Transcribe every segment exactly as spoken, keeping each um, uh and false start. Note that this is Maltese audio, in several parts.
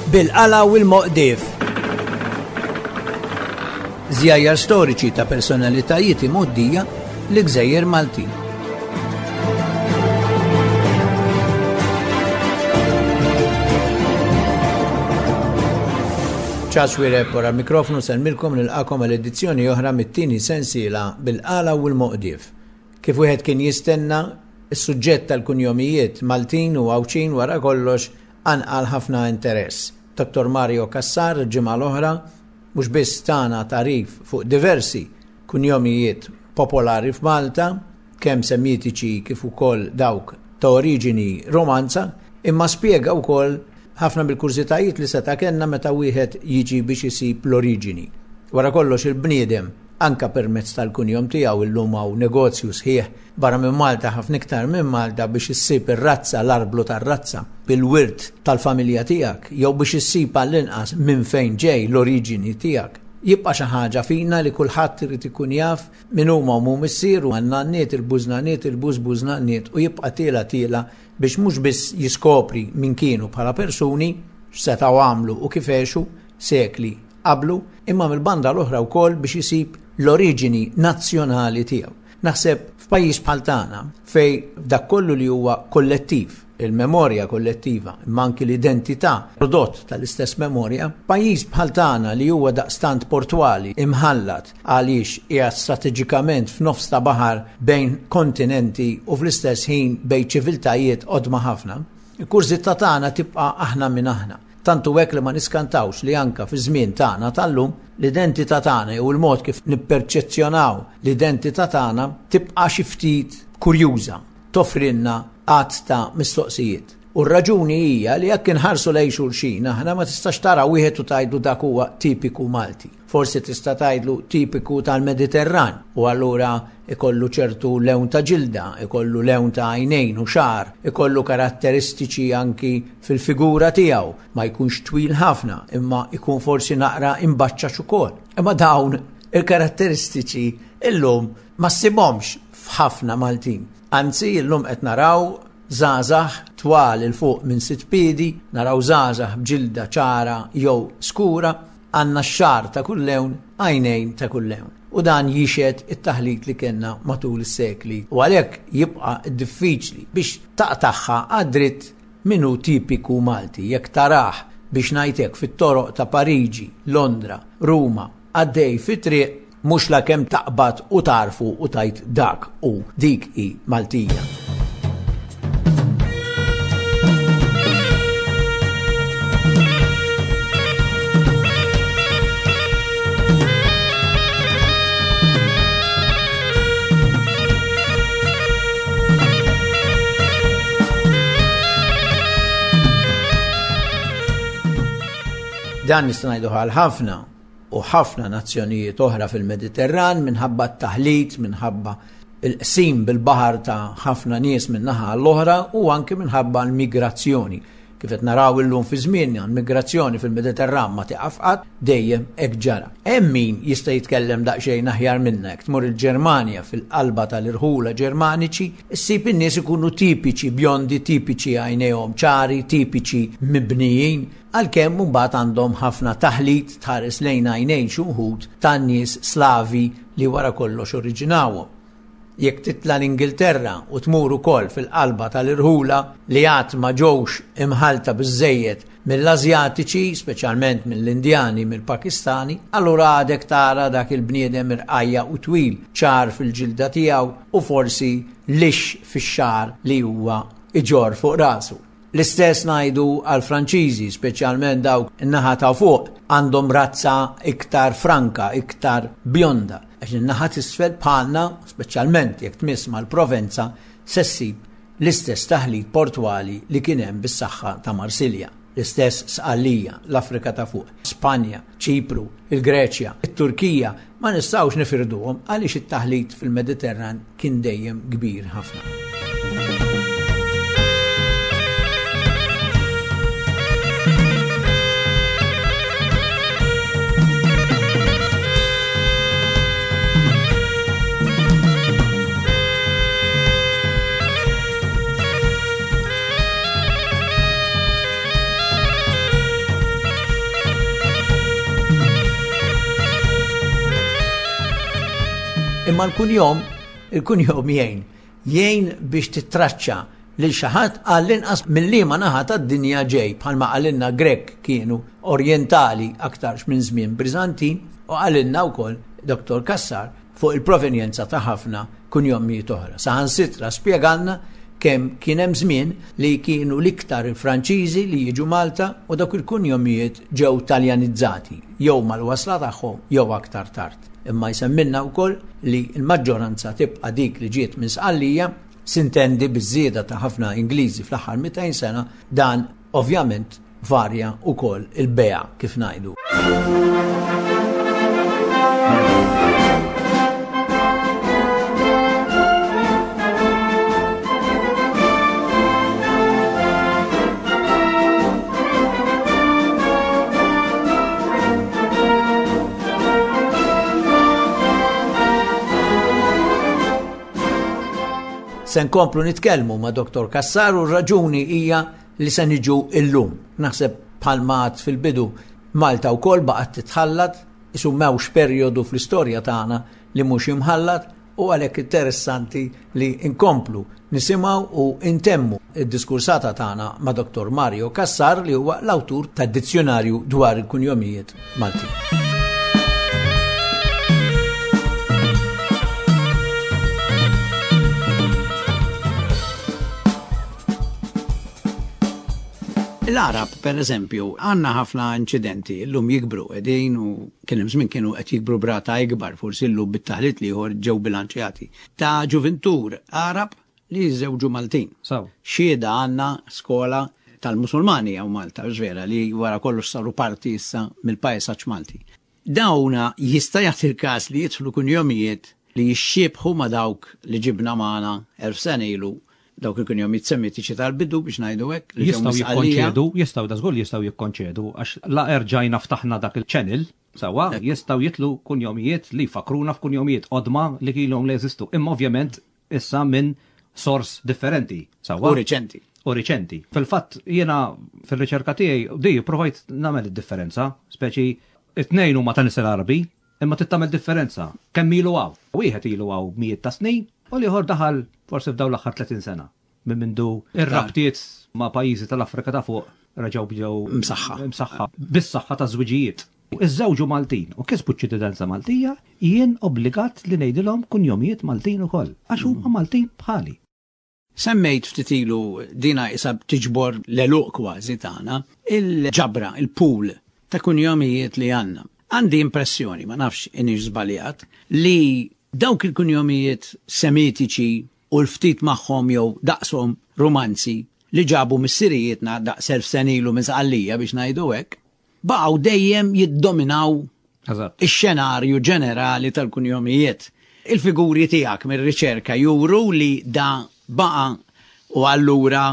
Bil-qala u l-moqdif. Żjajjar storiċi ta' personalitajiet imgħoddija li gżejjer Maltin. Charles Xuereb wara l-mikrofonu nsellmilkom nilqagħkom għal edizzjoni oħra mit-tieni sensiela bil-qala u l-moqdif. Kif wieħed kien jistenna, is-suġġett tal-kunjomijiet Maltin u Għawdxin wara kollox qanqal ħafna interess. Dottor Mario Cassar ġimgħa l-oħra mhux biss tana tagħrif fuq diversi kunjomijiet popolari f'Malta, kemm semitiċi kif ukoll dawk ta' oriġini romanza, imma spjega wkoll ħafna mill-kurżitajiet li seta' kellna meta wieħed jiġi biex isib l-oriġini. Wara kollox il-bniedem, anka permezz tal-kunjom tiegħu illum hawn negozju sħiħ barra minn Malta ħafna iktar minn Malta biex issib ir-razza, l-arblu tar-razza, bil-wirt tal-familja tiegħek, jew biex issib għall-inqas minn fejn ġej l-oriġini tiegħek. Jibqa' xi ħaġa fina li kulħadd irid ikun jaf min huma omm u missier u għan-nanniet, il-bużnaniet, il-bużbużnaniet u jibqa' tiela tiela biex mhux biss jiskopri min kienu bħala persuni, x'setgħu għamlu u kif għexu sekli qablu, imma mill-banda l-oħra wkoll biex isib l-oriġini nazzjonali tiegħu. Naħseb f'pajjiż bħal tagħna fej dak kollu li huwa kollettiv, il-memorja kollettiva, imma anki l-identità prodott tal-istess memorja, pajjiż bħal tagħna li huwa daqstant portwali imħallat għaliex qiegħed strateġikament f'nofs ta' baħar bejn kontinenti u fl-istess ħin bejn ċiviltajiet qodma ħafna, il-kurżità tagħna tibqa' aħna minn aħna. Tantu hekk li ma niskantawx li anka fi żmien tagħna tal-lum l-identità tagħna jew il-mod kif nipperċezzjonaw l-identità tagħna tibqa' xi ftit kurjuża, toffrilna għadd ta' mistoqsijiet. U r-raġuni hija li jekk inħarsu lejn xulxin aħna ma tistax tara wieħed u tgħidlu dak huwa tipiku Malti. Forsi tista' tgħidlu tipiku tal-Mediterran u allura ikollu ċertu lewn ta' ġilda, ikollu lewn ta' għajnejn u xagħar, ikollu karatteristiċi anki fil-figura tiegħu, ma jkunx twil ħafna, imma ikun forsi naqra imbaċċax ukoll. Imma dawn il-karatteristiċi illum ma ssibhomx f'ħafna Maltin. Anzi, illum qed naraw żgħażagħ twal il fuq minn sitt piedi, naraw żgħażagħ b'ġilda ċara jew skura, għandna x-xagħar ta' kull lewn, għajnejn ta' kull lewn. U dan jixhed it-taħlit li kellna matul is-sekli. U għalhekk jibqa' diffiċli biex taqtagħha għad-dritt min hu tipiku Malti. Jekk tarah biex ngħidlek fit-toroq ta' Pariġi, Londra, Ruma, għaddej fit-triq, mhux la kemm taqbad u tarfu u tajt dak u dik hi Maltija. Dan nista' ngħidu għal ħafna u ħafna nazzjonijiet oħra fil-Mediterran minħabba t-taħlit, minħabba il-qsim bil-baħar ta' ħafna nies minn naħa l-oħra u anke minħabba l-migrazzjoni. Kif qed naraw illum fi żmienna, l-migrazzjoni fil-Mediterran ma tieqaf qatt, dejjem hekk ġara. Hemm min jista' jitkellem daqsxejn aħjar minna, jekk tmur il-Ġermanja fil-qalba tal-irħula Ġermaniċi, issib in-nies ikunu tipiċi bjondi, tipiċi għajnejhom ċari, tipiċi mibnijin, għalkemm mbagħad għandhom ħafna taħlit tħares lejn għajnejn xi wħud tan-nies Slavi li wara kollox oriġinawhom. Jekk titla l-Ingilterra u tmur ukoll fil-qalba tal-irħula li għad ma ġewx imħalta biżżejjed mill-Asjatiċi, speċjalment mill-Indjani, mill-Pakistani, allura għadek tara dak il-bniedem irqajja u twil, ċar fil-ġilda tiegħu u forsi lix fix-xagħar li huwa iġorr fuq rasu. L-istess ngħidu għal-Franċiżi, speċjalment dawk in-naħa ta' fuq, għandhom razza iktar franka, iktar bjonda. Għax in-naħa t'isfel bħalna, speċjalment jekk tmiss mal-Provenza, se ssib l-istess taħlit portwali li kien hemm bis-saħħa ta' Marsilja. L-istess Sqallija, l-Afrika ta' fuq, Spanja, Ċipru, il-Greċja, it-Turkija, ma nistgħux nifirduhom għaliex it-taħlit fil-Mediterran kien dejjem kbir ħafna. Imma l-kunjom, il-kunjom jgħin, jgħin biex titraċċa lil xi ħadd għall-inqas mill-liema naħa tad-dinja ġej, bħalma qalilna Grech kienu orjentali aktarx minn żmien Bizantin, u qalilna wkoll Dottor Cassar fuq il-provenjenza ta' ħafna kunjomijiet oħra. Saħansitra spjegalna kemm kien hemm żmien li kienu l-iktar il-Franċiżi li jiġu Malta u dawk il-kunjomijiet ġew taljanizzati jew mal-wasla tagħhom jew aktar tard. Imma jsemmilna wkoll li l-maġġoranza tibqa' dik li ġiet minn Sqallija, sintendi biż-żieda ta' ħafna Ingliżi fl-aħħar mitejn sena, dan ovvjament varja wkoll il-bea kif ngħidu. Se nkomplu nitkellmu ma' Dottor Cassar u r-raġuni hija li se niġu illum. Naħseb bħalma għad fil-bidu Malta wkoll baqgħet titħallat, isu m'hawnx perjodu fl-istorja tagħna li mhux imħallat, u għalhekk interessanti li nkomplu nisimgħu u intemmu id-diskursata tagħna ma' Dottor Mario Cassar li huwa l-awtur tad-dizzjonarju dwar il-kunjomijiet Maltin. L-Arab, per eżempju, għanna ħafna inċidenti, llum jikbru qegħdin u kien hemm żmien kienu qed jikbru brata ikbar, forsi llum bit-taħlit li ieħor ġew bilanċjati, ta' ġuvintur Arab li jiżżewġu Maltin. Saw. Xhieda għandna skola tal-Musulmani hawn Malta, vera, li wara kollox saru parti issa mill-pajsaġġ Malti. Dawna jista' jagħti l-każ li jidħlu kunjomijiet li jixxiebħu ma' dawk li ġibna magħna elf sena ilu, dawk il-kunjomijiet semitiċi tal-bidu biex ngħidu hekk, li ġew Jistgħu misqalija. jikkonċedu, jistgħu da żgur jistgħu jikkonċedu, għax la erġajna ftaħna dak il-channel, sawa, Ekku. jistgħu jitlu kunjomijiet li fakruna f'kunjomijiet qodma li kilhom li jeżistu. Imma ovvjament issa minn sors differenti, sawa. U riċenti. U riċenti. Fil-fatt jiena fil-riċerka tiegħi di provajt nagħmel id-differenza, speċi it-tnejn huma ta' nisel Arabi, imma tittamel differenza. Kemm ilu hawn? Wieħed ilu hawn mijiet ta' snin u l-ieħor daħal forsi f'dawn l-aħħar tletin sena. Minn mindu ir-rabtiet ma' pajjiżi tal-Afrika ta' fuq reġgħu bdew Msaħħa. Msaħħa. Bis-saħħa ta' żwiġijiet. Iż-żewġu Maltin u kisbu ċ-ċittadinanza Maltija, jien obbligat li ngħidilhom kunjomijiet Maltin ukoll, għax huma Maltin bħali. Semmejt ftit ilu dina isa tiġbor l-eluq kważi tagħna, il-ġabra, il-pool ta' kunjomijiet li għandna. Għandi impressjoni, ma nafx inix żbaljat, li dawk il-kunjomijiet semitiċi u l-ftit magħhom jew daqshom romanzi li ġabu missirijietna daqs elf sena ilu minn Sqallija biex ngħidu hekk, baqgħu dejjem jiddominaw Eżatt. ix-xenarju ġenerali tal-kunjomijiet. Il-figuri tiegħek mir-riċerka juru li da baqa' u allura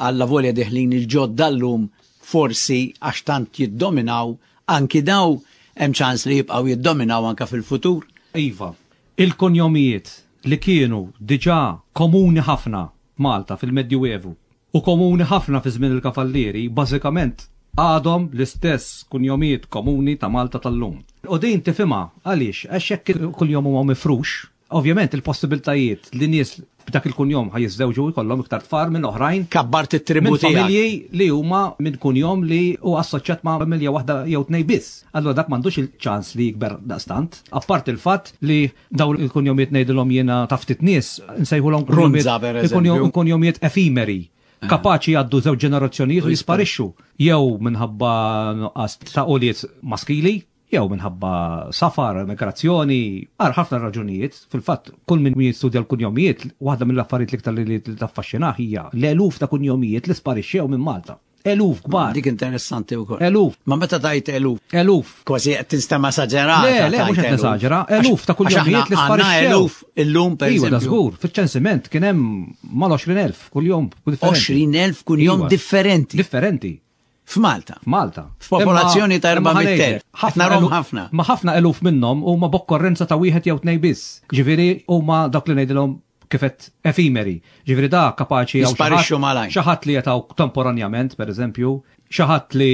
alla volja deħlin il-ġodda llum forsi għax tant jiddominaw anki daw hemm ċans li jibqgħu jiddominaw anka fil-futur. Iva, il-kunjomijiet li kienu diġà komuni ħafna Malta fil-Medjuevu u komuni ħafna fi żmien il-Kavallieri, bażikament għadhom l-istess kunjomijiet komuni ta' Malta tal-lum. U din tifhimha għaliex għax jekk il-kunjom huma mifrux, ovvjament il-possibiltajiet li nies b'dak il-kunjom ħaj jiżżewġu jkollhom iktar tfal minn oħrajn. Kabbart it-tribu Minn tiegħek. familji li huma minn kunjom li hu assoċjat ma' familja waħda jew tnej biss. Allura dak m'għandux il-ċans li jikber daqstant. Apart il-fatt li dawn il-kunjomijiet ngħidilhom jiena ta' ftit nies, nsejħulhom kunjomijiet Runza, per il-kunjom- eżempju. kunjomijiet efimeri. Kapaċi jgħaddu żewġ ġenerazzjonijiet u jisparixxu. Jew minħabba nuqqas ta' ulied maskili, jew minħabba safar, migrazzjoni, għar ħafna raġunijiet. Fil-fatt, kull min jistudja l-kunjomijiet, waħda mill-affarijiet l-iktar li, li taffaxxinah hija l-eluf ta' kunjomijiet li sparixxew minn Malta. Eluf kbar. Dik interessanti wkoll. Eluf. Ma meta tajt eluf? Eluf. Kważi qed tinstema' esaġerata. Le, le, tajt mhux qed eluf. nesaġera, eluf ta' Għax aħna kunjomijiet li għandna sparixxew. eluf illum, per Iva, da eżempju. żgur, fiċ-ċensiment kien hemm mal-għoxrin elf kuljum differenti. Għoxrin elf kunjom Iva. differenti. Differenti. F'Malta. F'Malta. F'popolazzjoni ta' Imma erba' mitt elf. ħanejlek, ħafna Narhom eluf- ħafna. Ma ħafna eluf minnhom huma b'okkorrenza ta' wieħed jew tnejn biss. Ġifieri huma dak li ngħidilhom kifet efimeri. Ġifieri da kapaċi hawn xi Jisparixxu ħadd- malajr. xi ħadd li jetaw temporanjament, per eżempju. Xi ħadd li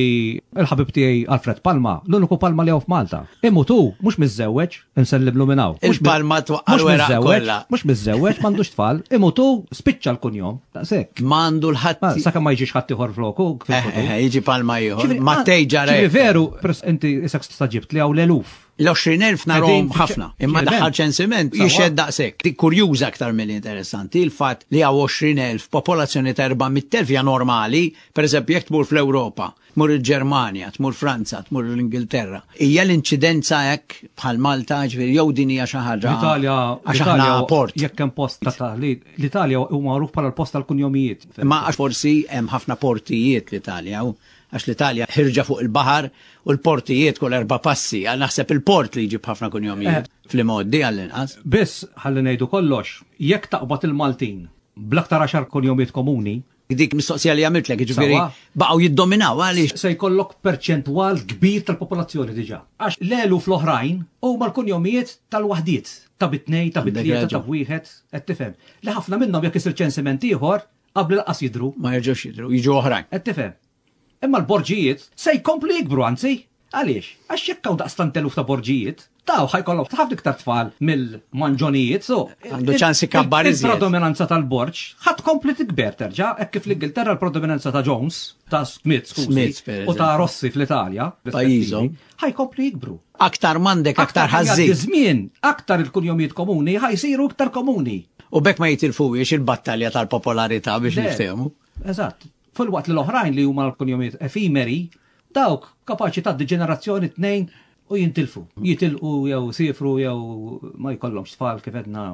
l-ħabib tiegħi Alfred Palma, l-uniku Palma li hawn f'Malta. Imut hu mhux miżżewweġ, insellimlu minn hawn. Il-Palma twaqqa' l-weraq kollha. Mhux miżżewweġ, m'għandux tfal, imut hu spiċċa l-kunjom, daqshekk. M'għandu l-ħadd. Sakemm ma jiġix ħadd ieħor floku. Eh, eh, jiġi Palma ieħor. Mattej ġara. Veru, inti isek staġibt li hawn l-eluf. L-għoxrin elf narhom ħafna, imma daħħal ċensiment jixhed daqshekk. Dik kurjuża aktar milli interessanti, il-fatt li hawn għoxrin elf popolazzjoni ta' erba' mitt elf hija normali, pereżempju jekk tmur fl-Ewropa, tmur il-Ġermanja, tmur Franza, tmur l-Ingilterra. Hija l-inċidenza hekk bħal Malta, ġifieri jew din hija xi ħaġa. L-Italja, għax aħna port. Jekk hemm post ta' taħlit, l-Italja hu magħruf bħala l-post tal-kunjomijiet. Imma għax forsi hemm ħafna portijiet l-Italja, u għax l-Italja ħirġa fuq il-baħar u l-portijiet kull erba' passi, għal naħseb il-port li jġib ħafna kunjomijiet Eh. fl-imgħoddi għall-inqas. Biss ħalli ngħidu kollox, jekk taqbad il-Maltin bl-aktar għaxar kunjomijiet komuni, Dik mistoqsija li għamiltlek, jiġifieri Sawa. baqgħu jiddominaw għaliex. Se jkollok perċentwal kbir tal-popolazzjoni diġà. Għax l-eluf l-oħrajn huma l-kunjomijiet tal-waħdiet, ta' bitnej, ta' Għandek bitlieta, ta' raġun. wieħed, qed tifhem. Li ħafna minnhom jekk isir ċensiment ieħor qabel lanqas jidhru. Ma jerġgħux jidhru, jiġu oħrajn. Qed tifhem. Imma l-borġijiet se jkomplu jikbru anzi. Għaliex? Għax jekk hawn daqstant eluf ta' borġijiet, daw ħajkollhom ħafna iktar tfal mill-manġonijiet, so Għandu ċans ikabbar iżjed. Il-predominanza tal-borġ ħadd kompli tikber terġa', hekk kif l-Ingilterra l-predominanza ta' Jones, ta' Smith, skużi, Smith, per u ta' eżempju. Rossi fl-Italja, Pajjiżhom. ħajkomplu jikbru. Aktar m'għandek, aktar Aktar ħażin. jgħaddi żmien, aktar il-kunjomijiet komuni ħajsiru iktar komuni. U bekk ma jitilfuwiex il-battalja tal-popolarità biex Le. niftehmu. Eżatt. Fil-waqt li l-oħrajn li huma l-kunjomijiet efimeri, dawk kapaċi tgħaddi ġenerazzjoni tnejn u jintilfu. Jitilqu jew sifru jew ma jkollhomx tfal kif edna.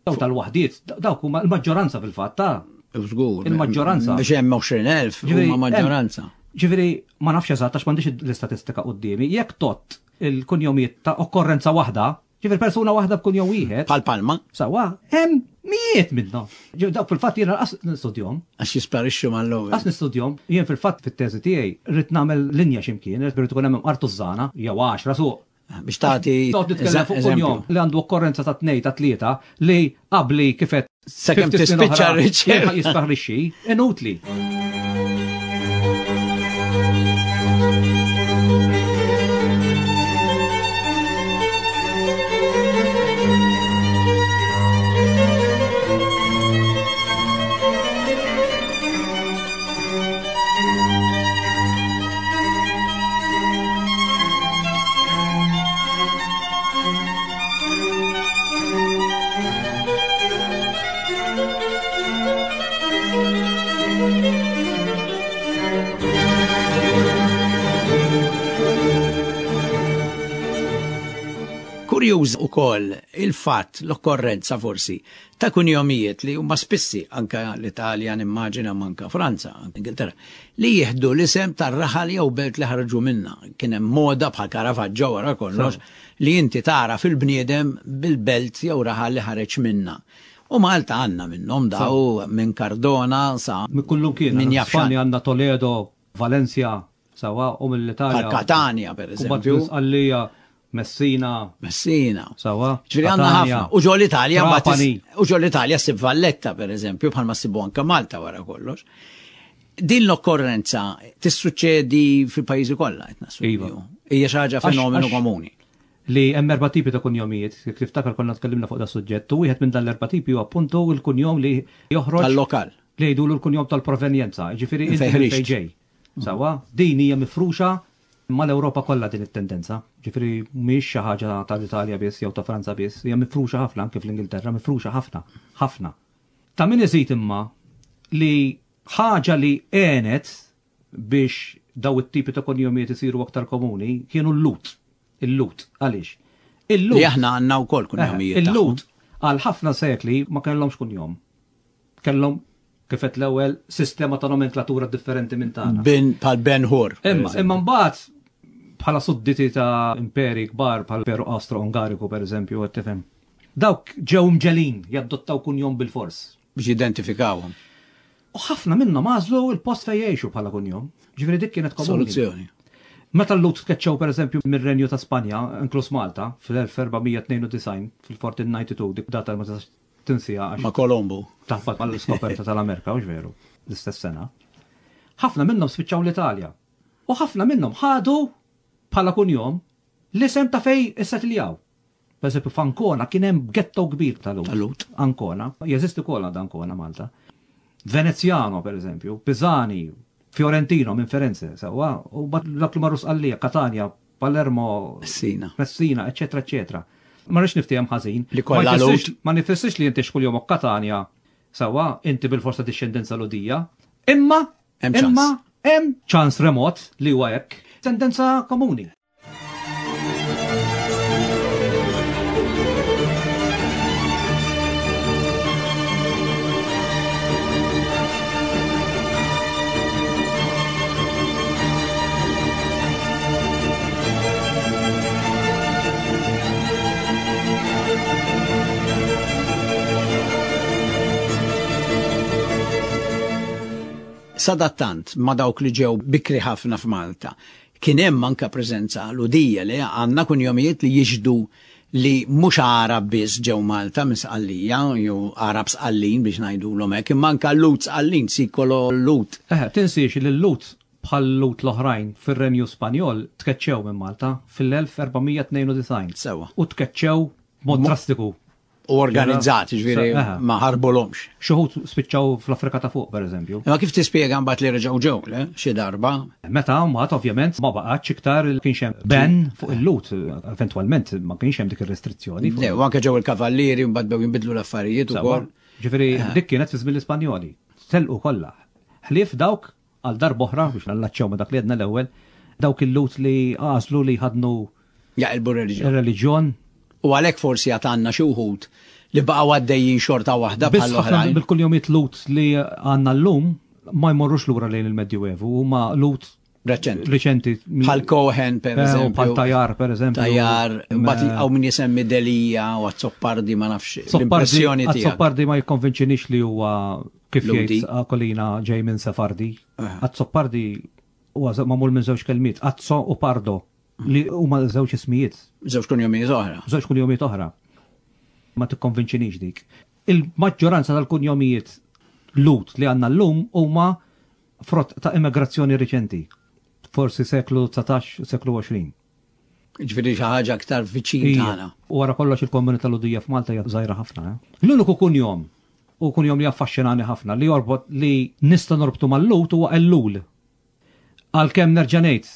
Dawk tal-waħdiet, dawk huma l-maġġoranza fil-fatt ta' Żgur. Il-maġġoranza. Biex hemm għoxrin elf Ġifieri, huma maġġoranza. hemm- Ġifieri ma nafx eżatt għax m'għandix l-istatistika quddiemi, jekk tot il-kunjomijiet ta' okkorrenza waħda, ġifieri persuna waħda b'kunjom wieħed. Bħal Palma. Sawa, hemm mijiet minnhom. Ġifieri dawk fil-fatt jiena qas nistudjhom. Għax jisparixxu mal-ewwel. Qas nistudjhom, jien fil-fatt fit-teżi tiegħi rrid nagħmel linja x'imkien, rrid ikun hemm artużana jew għaxra suq. Biex tagħti Toqgħod nitkellem fuq eżempju. kunjom li għandu okkorrenza ta' tnej ta' tlieta li qabli kifet Sakemm fifty snin tispiċċa oħra r-riċerka. jilħaq jisparixxi, inutli. Kurjuż ukoll il-fatt, l-okkorrenza forsi, ta' kunjomijiet li huma spissi anka l-Italja, nimmaġina manka Franza, anka Ingilterra, li jieħdu l-isem tar-raħal jew belt li ħarġu minna. Kien hemm moda bħal Caravaggio wara kollox li inti tara fil-bniedem bil-belt jew raħal li ħareġ minna. U Malta għandna minnhom daw minn Cardona sa Minn kullum kien, minn għandna jafxan. Spanja għandna Toledo, Valencia, sawa, u mill-Italja. Bħal Catania, per Kumbat eżempju. Sqallija, Messina. Messina. Sawa. Ġifieri għandna Catania. ħafna. U ġo l-Italja mbagħad is- Trapani. u ġo l-Italja ssib Valletta, per eżempju, bħalma ssibu anke Malta wara kollox. Din l-okkorrenza tissuċċedi fil-pajjiżi kollha qed nassumi. Iva. Hija xi ħaġa Għax- fenomenu għax- komuni. Li hemm erba' tipi ta' kunjomijiet, kif tiftakar konna tkellimna fuq da suġġett, u wieħed minn dan l-erba' tipi huwa appuntu l-kunjom li joħroġ Tal-lokal. Li jgħidulu l-kunjom tal-provenjenza, ġifieri inti Fejn minn ħriġt. fejn ġej. Sawa, din hija mifruxa mal-Ewropa kollha din it-tendenza. Ġifieri mhijiex xi ħaġa tal-Italja biss jew ta' Franza biss, hija mifruxa ħafna anke fl-Ingilterra, mifruxa ħafna, ħafna. Ta' min iżid imma li ħaġa li għenet biex daw it-tipi ta' kunjomijiet isiru aktar komuni kienu l-Lut. Il-Lut, għaliex? Il-Lut. Li aħna għandna wkoll kunjomijiet Eh, Il-Lut tagħhom. għal ħafna sekli ma kellhomx kunjom. Kellhom kif qed l-ewwel sistema ta' nomenklatura differenti minn tagħna. Ben bħal Ben Hur. per Imma eżempju. imma mbagħad bħala sudditi ta' imperi kbar bħal Imperu Austro-Ungariku per eżempju, qed tifhem. Dawk ġew mġelin jaddottaw kunjom bil-fors. Biex jidentifikawhom. U ħafna minnhom għażlu l-post fejn jgħixu bħala kunjom. Ġifieri dik kienet komuni. Soluzzjoni. Meta l-Lut tkeċċew per eżempju mir-Renju ta' Spanja, inkluż Malta, fl-elf erba' tnejn u disgħin, fil-fourteen ninety-two, dik data ma tistax tinsija għax Ma' Kolombo. Taħbat mal-iskoperta tal-Amerika, mhux veru, l-istess sena. Ħafna minnhom spiċċaw l-Italja. U ħafna minnhom ħadu bħala kunjom l-isem ta' fej issettiljaw. Per eżempju, f'Ancona kien hemm ghetto kbir tal-Lhud. Tal-Lhud. Ancona, jeżisti wkoll għad Ancona Malta. Veneziano, per eżempju, Pisani, Fiorentino minn Firenze, sewwa, u mbagħad dak li marru Sqallija, Catania, Palermo, Messina. Messina, eccetera, eccetera. Ma rridx niftiehem ħażin. Li kollha Ma jfissirx- Lhud. Ma nifissirx li inti xkuljomok Catania, sewwa, inti bil-forsa dixxendenza Lhudija. Imma, Hemm ċans. imma hemm ċans remot li huwa hekk. Tendenza komuni. Sadattant ma dawk li ġew bikri ħafna f'Malta, kien hemm anke preżenza Lhudija li għandna kunjomijiet li jixhdu li mhux Għarab biss ġew Malta minn Sqallija, jew Għarab Sqallin biex ngħidulhom hekk, imma anke Lhud Sqallin, Sikolo Lhud. Eħe, tinsiex li l-Lhud bħal Lhud l-oħrajn fir-Renju Spanjol tkeċċew minn Malta fil-elf erba' mija tnejn u disgħin. Sewwa. U tkeċċew b'mod drastiku. U organizzati, ġifieri Eħe. ma ħarbulhomx. Xi wħud spiċċaw fl-Afrika ta' fuq, per eżempju. Imma kif tispjega mbagħad li reġgħu ġew, le? Xi darba? Meta mbagħad ovvjament ma baqgħetx iktar kienx hemm ban fuq il-Lhud, eventwalment ma kienx hemm dik ir-restrizzjoni. Le, u anke ġew il-kavallieri mbagħad bew jinbidlu l-affarijiet Sewwa. ukoll. Ġifieri dik kienet fi żmien l-Ispanjoli. Telqu kollha. Ħlief dawk għal darb'oħra biex nallaċċew ma dak li għedna l-ewwel, dawk il-Lhud li għażlu li ħadnu Jaqilbu r-reliġjon. ir-reliġjon. U għalhekk forsi għad għandna xi wħud li baqgħu għaddejjin xorta waħda Biss bħal ħafna oħrajn. bil-kunjomijiet Lhud li għandna llum ma jmorrux lura lejn il-Medjuevu, huma Lhud Reċenti. reċenti. Bħal Cohen, per Eh, u eżempju. Bħal Tajar, per eżempju. Tajar, mbagħad Eh, hawn min jisemmi Delija u Azzopardi ma nafx Zoppardi l-impressjoni tiegħek. Azzopardi ma jikkonvinċinix li huwa kif Lhudi. jgħid Aquilina ġej minn Sefardi. Eh. Azzopardi huwa magħmul minn żewġ kelmiet, Azzo u Pardo, li huma żewġ ismijiet, Żewġ kunjomijiet oħra. żewġ kunjomijiet oħra. Ma tikkonvinċinix dik. Il-maġġoranza tal-kunjomijiet Lhud li għandna llum huma frott ta' immigrazzjoni riċenti. Forsi seklu dsatax, seklu għoxrin. Ġifieri xi ħaġa aktar viċin Ija. tagħna. U wara kollox il-komunità Lhudija f'Malta hija żgħira ħafna. Eh? L-uniku kunjom u kunjom li affaxxinani ħafna li jorbot li nista' norbtu mal-Lhud huwa Ellul. Għalkemm nerġa' ngħid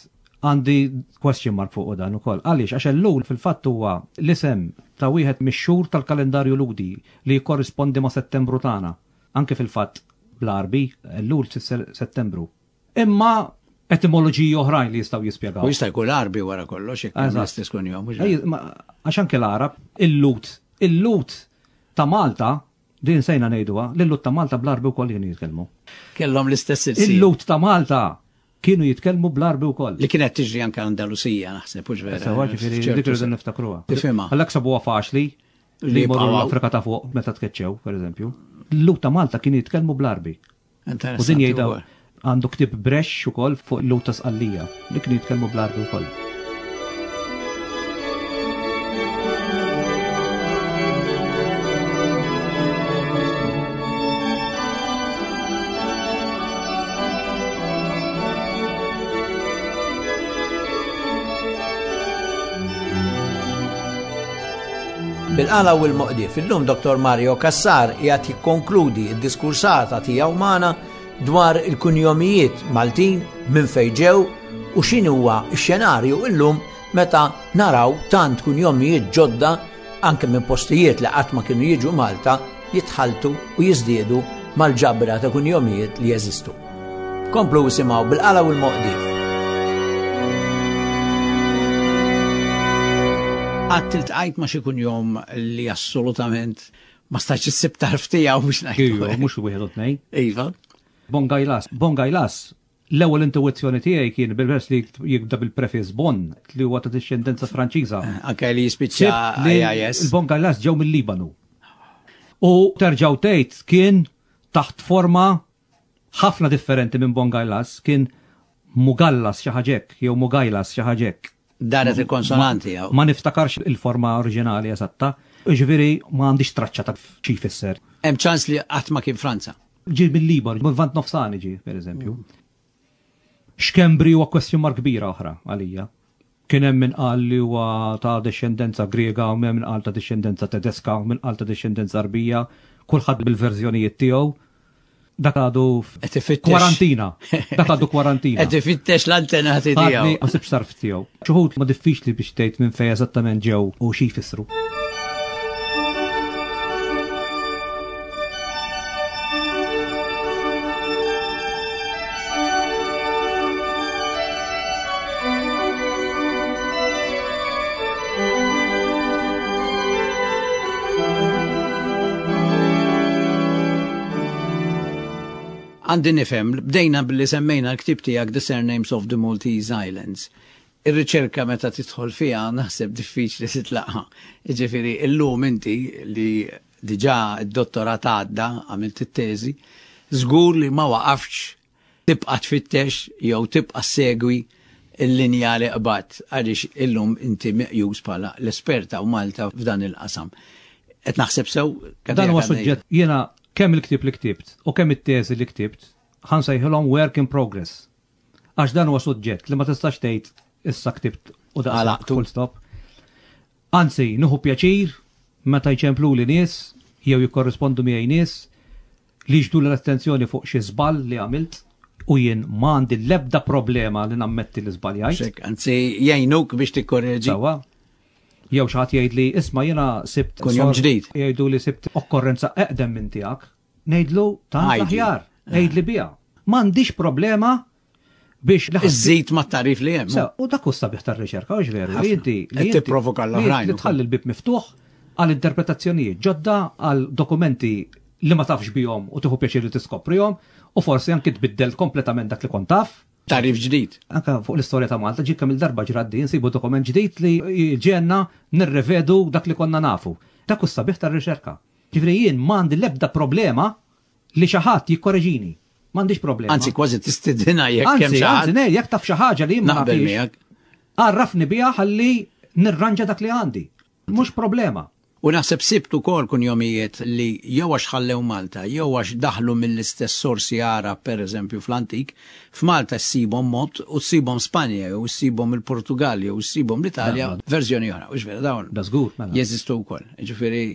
għandi question mark fuq dan ukoll. Għaliex għax Ellul fil-fatt huwa l-isem ta' wieħed mix-xhur tal-kalendarju Lhudi li jikkorrispondi ma' Settembru tagħna. Anke fil-fatt bl-Arbi Ellul tfisser Settembru. Imma etimoloġiji oħrajn li jistgħu jispjegaw. U jista' jkun Arbi wara kollox jekk hemm Eżatt. l-istess kunjom. mhux Ej, ma- Għax anke l-Arab, il-Lhud, il-Lhud ta' Malta, din sejna ngħiduha, l-Lhud ta' Malta bl-Arbi wkoll kienu jitkellmu. Kellhom l-istess ilsien. Il-Lhud ta' Malta kienu jitkellmu bl-Arbi wkoll. Li kienet tiġri anke Andalusija naħseb, hux vera. Sewwa ġifieri F'ċertu dik irridu sens. niftakruha. Tifhimha. Għalhekk sabuha faċli Li li jmorru jibqgħu. l-Afrika ta' fuq meta tkeċċew, pereżempju. Il-Lhud ta' Malta kienu jitkellmu bl-Arbi. U din Interessanti jgħidha wkoll. għandu ktieb Brex ukoll fuq il-Lhud ta' Sqallija li kienu jitkellmu bl-Arbi wkoll. Bil-qala u l-moqdif, illum Doktor Mario Cassar qiegħed jikkonkludi d-diskursata tiegħu magħna dwar il-kunjomijiet Maltin minn fejn ġew u x'inhu huwa x-xenarju illum meta naraw tant kunjomijiet ġodda anke minn postijiet li qatt ma kienu jiġu Malta jitħaltu u jiżdiedu mal-ġabra ta' kunjomijiet li jeżistu. Komplu isimgħu bil-qala u l-moqdif. Qatt iltqajt ma xi kunjom li assolutament ma stax issib tarf tiegħu biex ngħidu. Ejju, mhux wieħed u tnejn. Iva. Bongajlas. Bongajlas, l-ewwel intuizzjoni tiegħi kien bil-vers li jibda bil-prefiss Bon, li huwa ta' dixxendenza Franċiża. Anke li jispiċċa Sibt li I I S. Il-Bongajlas ġew mill-Libanu. U terġgħu tgħid kien taħt forma ħafna differenti minn Bongajlas, kien Mugallas xi ħaġa hekk, jew Mugajlas xi ħaġa hekk. Daret il-konsonanti jew. Ma niftakarx il-forma oriġinali eżatta, ġifieri ma għandix traċċa ta' xi jfisser. Hemm ċans li qatt ma kien Franza. Ġi mill-Liban, mill-Lvant Nofsani ġi, per eżempju. Xkembri huwa question mark kbira oħra għalija. Kien hemm min qal li huwa ta' dixxendenza Griega, u min qal ta' dixxendenza Tedeska, u min qal ta' dixxendenza Arbija, kulħadd bil-verżjonijiet tiegħu. Dak għadu kwarantina. Dak għadu kwarantina. Qed ifittex l-antenati tiegħu. Ma sibx tarf tiegħu. Xi wħud ma diffiċli biex tgħid minn fejn eżattament ġew u xi jfissru. Għandi nifhem, bdejna billi semmejna l-ktib tiegħek The Surnames of the Maltese Islands. Ir-riċerka meta tidħol fiha naħseb diffiċli titlaqha. Jiġifieri illum inti li diġà d-dottorat għadda għamilt it-teżi, żgur li ma waqafx tibqa' tfittex jew tibqa' segwi l-linja li qbadt għaliex illum inti meqjus bħala l-esperta u Malta f'dan il-qasam. Qed naħseb sew? Dan huwa suġġett jiena kemm il-ktieb li ktibt u kemm it-teżi li ktibt ħa nsejħilhom work in progress. Għax dan huwa suġġett li ma tistax tgħid issa ktibt u daqshekk full stop. Anzi, nieħu pjaċir meta jċempluli nies jew jikkorrispondu miegħi nies li jiġbdu l-attenzjoni fuq xi żball li għamilt u jien ma għandi l-ebda problema li nammetti li żbaljajt. Anzi, jgħinuk biex tikkorreġi. Sawa. Jew xi ħadd jgħid li isma' jiena sibt kunjom ġdid. Jgħidu li sibt okkorrenza eqdem minn tiegħek. Ngħidlu tant aħjar, ngħidli biha. M'għandix problema biex iżżid mat-tarif li hemm. U dak hu sabiħ tar-riċerka, hux veru? Li inti li tipprovoka l-oħrajn. Li tħalli l-bib miftuħ għal interpretazzjonijiet ġodda, għal dokumenti li ma tafx bihom u tieħu pjaċir li tiskoprihom u forsi anki tbiddel kompletament dak li kont taf. Tarif ġdid. Anka fuq l-istorja ta' Malta ġie kemm il-darba ġrat din nsibu dokument ġdid li ġenna nirrevedu dak li konna nafu. Dak hu sabiħ tar-riċerka. Ġifieri jien m'għandi l-ebda problema li xi ħadd jikkoreġini. M'għandix problema. Anzi kważi tistidina jekk hemm xi ħadd. Anzi, jekk taf xi ħaġa li ma nafx. Għarrafni biha ħalli nirranġa dak li għandi. Mhux problema. U naħseb sibt ukoll kunjomijiet li jew għax ħallew Malta, jew għax daħlu mill-istess sorsi Arab, pereżempju fl-antik, f'Malta ssibhom mod u ssibhom Spanja, jew ssibhom il-Portugal, jew ssibhom l-Italja, verżjoni oħra, hux vera dawn. Da żgur, mela. Jeżistu wkoll. Jiġifieri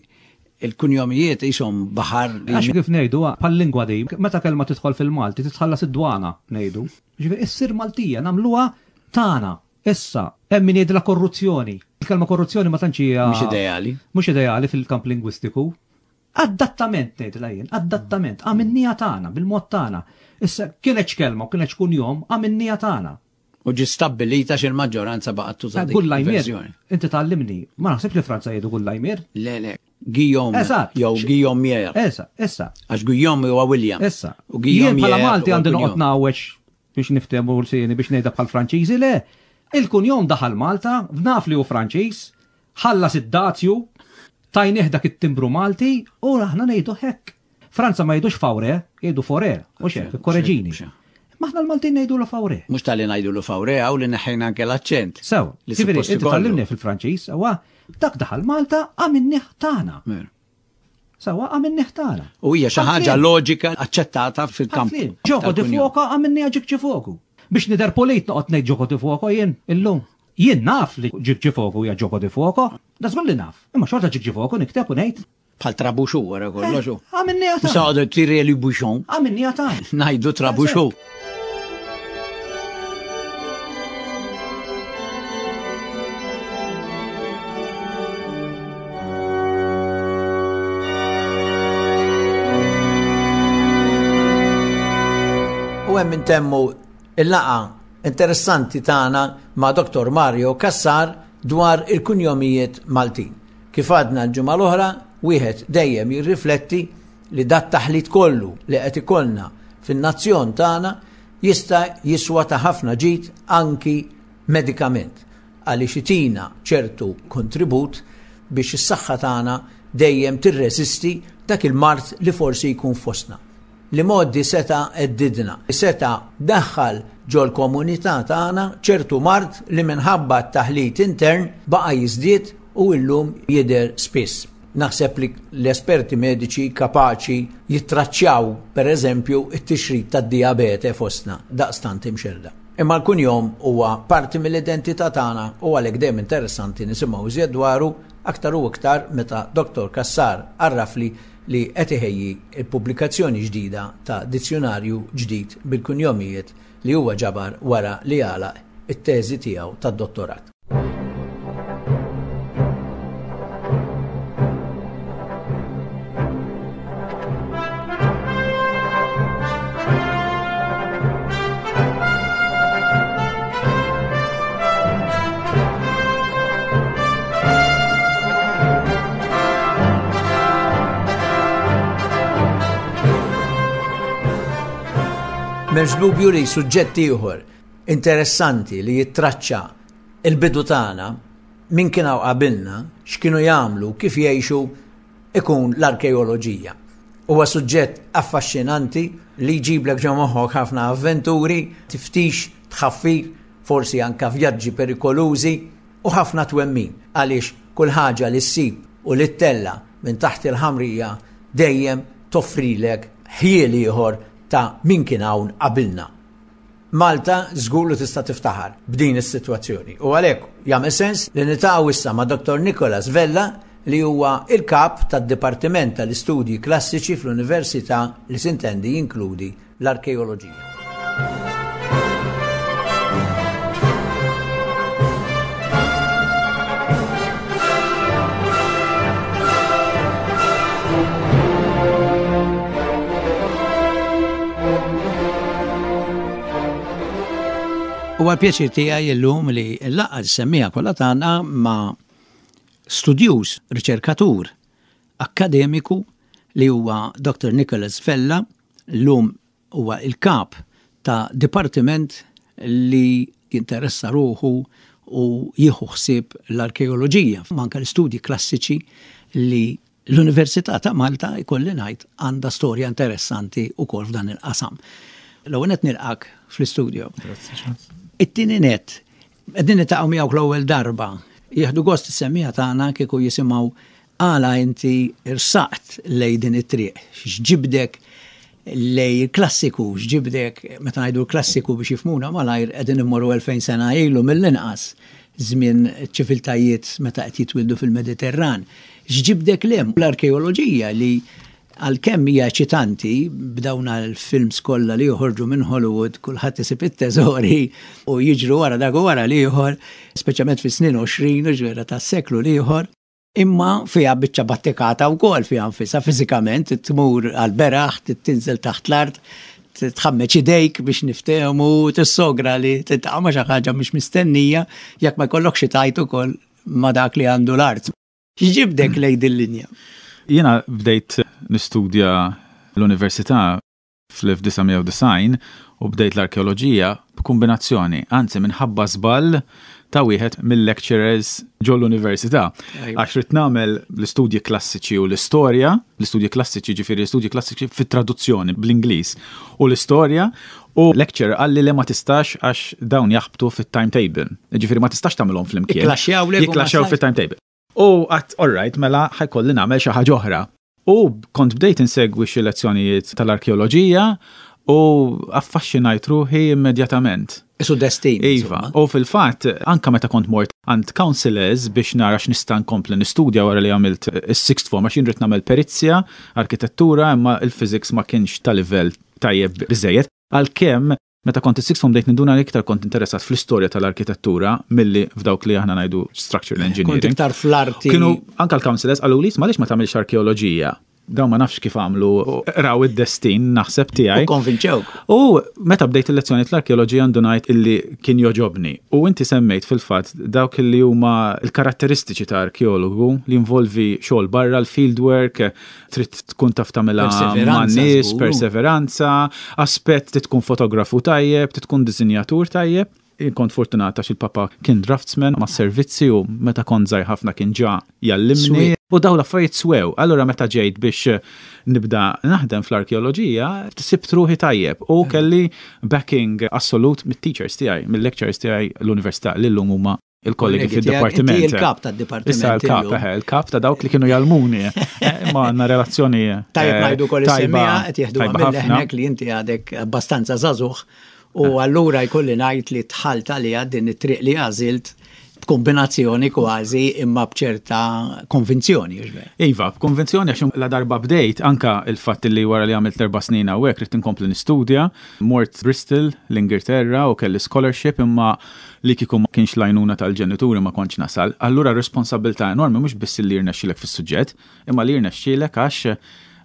il-kunjomijiet qishom baħar li. Għax kif ngħidu bħal-lingwa di, meta kelma tidħol fil-Malti titħallas id-dwana ngħidu. Jiġifieri issir Maltija nagħmluha tagħna. Issa, hemm min jgħidilha korruzzjoni. Il-kelma korruzzjoni ma tantx hija mhux ideali. Mhux ideali fil-kamp lingwistiku. Adattament ngħidilha jien, adattament, għamilniha tagħna bil-mod tagħna. Issa kienet kelma u kienet kunjom għamilniha tagħna. U ġi stabbilita x'il-maġġoranza baqgħet tuża dik il-verżjoni. Inti tgħallimni, ma naħsibx li Franza jgħidu Gullajmier. Le, le, Guillaume jew Guillaumier. Issa, issa. Għax Guillaume huwa William. Issa. U Guillaume bħala Malti għandi noqgħod ngħawweġ biex niftehmu l-sieni biex ngħidha bħal Franċiżi, le. Il-kunjom daħal Malta, naf li hu Franċiż, ħallas id-dazju, tajnieh dak it-timbru Malti u aħna ngħidu hekk. Franza ma jgħidux Faure, jgħidu Fore, u xek, korreġini. Ma aħna l-Maltin ngħidu l Faure. Mhux tal-li ngħidu l Faure hawn li neħħejna anke l-aċċent. Sew, ġifieri inti tgħallimni fil-Franċiż, huwa dak daħal Malta għamilnieh tagħna. Sewa għamilnieh tagħna. U hija xi ħaġa loġika aċċettata fil-kamp. Gioco di fuoco għamilniha ġikġi fuoco. Biex nidher polit noqgħod ngħid gioco di fuoco jien illum. Jien naf li ġikġi fuoco hija gioco di fuoco, da żgur li naf. Imma xorta ġikġi fuoco nikteb u ngħid. Bħal trabuxu wara kollox. Għamilniha tagħna. Saqgħu tirer li bouchon. Għamilniha tagħna. Ngħidu trabuxu. U hemm intemmu il-laqa interessanti tagħna ma' Doktor Mario Cassar dwar il-kunjomijiet Maltin. Kif għadna l-ġimgħa l-oħra, wieħed dejjem jirrifletti li dat taħlit kollu li qed ikollna fin-nazzjon tagħna jista' jiswa ta' ħafna ġid anki medikament, għaliex itina ċertu kontribut biex is-saħħa tagħna dejjem tirreżisti dak il-mard li forsi jkun fostna. Li moddi seta eddidna, seta daħħal ġol komunità tagħna ċertu mard li minħabba t-taħlit intern baqa' jiżdied u illum jidher spiss. Naħseb li l-esperti mediċi kapaċi jittraċċjaw, per eżempju, it-tixrid tad-diabete fostna daqstant imxerda. Imma l-kunjom huwa parti mill-identità tagħna u għalhekk dejjem interessanti nisimgħu iżjed dwaru aktar u iktar meta Dottor Cassar għarrafli li qed iħejji l-pubblikazzjoni ġdida ta' dizzjunarju ġdid bil-kunjomijiet li huwa ġabar wara li għalaq it-teżi tiegħu tad-dottorat. M'hemmx dubju li suġġett ieħor interessanti li jittraċċa il-bidu tagħna, min kien hawn qabilna, x'kienu jagħmlu, kif jgħixu, ikun l-arkeoloġija. Huwa suġġett affaxxinanti li jġiblek ġo moħħok ħafna avventuri, tiftix, tħaffir, forsi anka vjaġġi perikolużi u ħafna twemmin, għaliex kull ħaġa li ssib u li ttella minn taħt il-ħamrija dejjem toffrilek ħjiel ieħor ta' min kien hawn qabilna. Malta żgur li tista' tiftaħar b'din is-sitwazzjoni u għalhekk jagħmel sens li niltaqgħu issa ma' Dottor Nicholas Vella li huwa il-kap tad-Dipartiment tal-Istudji Klassiċi fl-Università li sintendi jinkludi l-arkeoloġija. Huwa l-pjaċir tiegħi llum li nlaqgħa s-semmiegħa kollha tagħna ma' studjuż, riċerkatur, akkademiku li huwa Dottor Nicholas Vella, llum huwa il-kap ta' dipartiment li jinteressa ruħu u jieħu ħsieb l-arkeoloġija, manka l-istudji klassiċi li l-Università ta' Malta jkolli ngħid għandha storja interessanti wkoll f'dan il-qasam. L-ewwel nett nilqak fl-istudio. Grazzi, Charles. It-tieni nett, qegħdin niltaqgħu miegħek l-ewwel darba. Jieħdu gost is-semmiegħa tagħna kieku jisimgħu għala inti irsaqt lej din it-triq, x'ġibdek lej il-klassiku, x'ġibdek, meta ngħidu l-klassiku biex jifhmuna malajr qegħdin immorru elfejn sena ilu mill-inqas, żmien ċiviltajiet meta qed jitwildu fil-Mediterran. X'ġibdek lem l-arkeoloġija li għalkemm hija eċitanti b'dawn l-films kollha li joħorġu minn Hollywood, kulħadd isib it-teżori u jiġru wara dak u wara l-ieħor, speċjalment fis-snin għoxrin u ġwera tas-seklu l-ieħor, imma fiha biċċa battikata wkoll fiha nfisha fiżikament, tmur għall-beraħ, tinżel taħt l-art, tħammeġ idejk biex niftehmu, tissogra li tiltaqa' ma' xi ħaġa mhux mistennija jekk ma jkollokx xi tajt ukoll ma' dak li għandu l-art. X'ġibdek lejn din linja? Jiena bdejt nistudja l-università fl-elf disa' mija u disgħin u bdejt l-arkeoloġija b'kombinazzjoni, anzi minħabba żball ta' wieħed mill-lecturers ġol-università. Ajwa. Għax rid nagħmel l-istudji klassiċi u l-istorja, l-istudji klassiċi ġifieri l-istudji klassiċi fit-traduzzjoni bl-Ingliż u l-istorja, u lecturer qalli li ma tistax għax dawn jaħbtu fit-timetable. Ġifieri ma tistax tagħmilhom flimkien. Jikklaxxjaw lek u ma Jikklaxxjaw tistax. fit-timetable. U għat, all right, mela ħajkolli nagħmel xi ħaġa oħra. U kont bdejt insegwi xi lezzjonijiet tal-arkeoloġija u affaxxinajt ruħi immedjatament. Isu destin, Iva, insomma. u fil-fatt, anka meta kont mort għand counselors biex nara x'nista' nkompli nistudja wara li għamilt is-sixth form, għax jien rrid nagħmel perizzja, arkitettura, imma il-physics ma kienx ta' livell tajjeb biżejjed. Għalkemm meta kont is-sixth form bdejt ninduna li iktar kont interessat fl-istorja tal-arkitettura milli f'dawk li aħna ngħidu structural Kont engineering. iktar fl-arti. Kienu anka l-counselors qalu li m'għaliex ma tagħmilx arkeoloġija. Dawn ma nafx kif għamlu, raw id-destin naħseb tiegħi. U konvinċewk. U meta bdejt il-lezzjoni tal-arkeoloġija ndunajt illi kien joġobni. U inti semmejt fil-fatt dawk li huma l-karatteristiċi ta' arkeologu li involvi xogħol barra, l-field work, trid tkun taf tagħmilha Perseveranza, man-nies, żgur. perseveranza, aspett trid tkun fotografu tajjeb, trid tkun disinjatur tajjeb. Jien kont fortunat għax il-papa kien draftsman ma' servizzi u meta kont żgħir ħafna kien ġa jallimni. Sweet. U daw l-affarijiet swew. Allura meta ġejt biex nibda naħdem fl-arkeoloġija, sibt ruħi tajjeb u kelli backing assolut mit-teachers tiegħi, mill-lecturers tiegħi l-università li llum huma il-kollegi Kollegi tiegħek, fid-dipartiment. Inti il-kap tad-dipartiment Issa il-kap, illum. eħe, il-kap ta' dawk li kienu jgħallmuni. Eh, ma għandna relazzjoni, Tajjeb eh, ngħidu wkoll tajba, is-semmiegħa qed jieħdu tajba minn ħafna. leħnek li inti għadek abbastanza żagħżugħ U allura jkolli ngħid li dħalt għalija din it-triq li għażilt b'kombinazzjoni kważi imma b'ċerta konvinzjoni. Iva, b'konvinzjoni għax la darba bdejt anka il-fatt li wara li għamilt erba' snin hawnhekk ridt inkompli nistudja, mort Bristol, l-Ingilterra u kelli scholarship imma li kieku ma kienx l-għajnuna tal-ġenituri ma kontx nasal. Allura responsabilità enormi mhux biss li jirnexxilek fis-suġġett, imma li jirnexxilek għax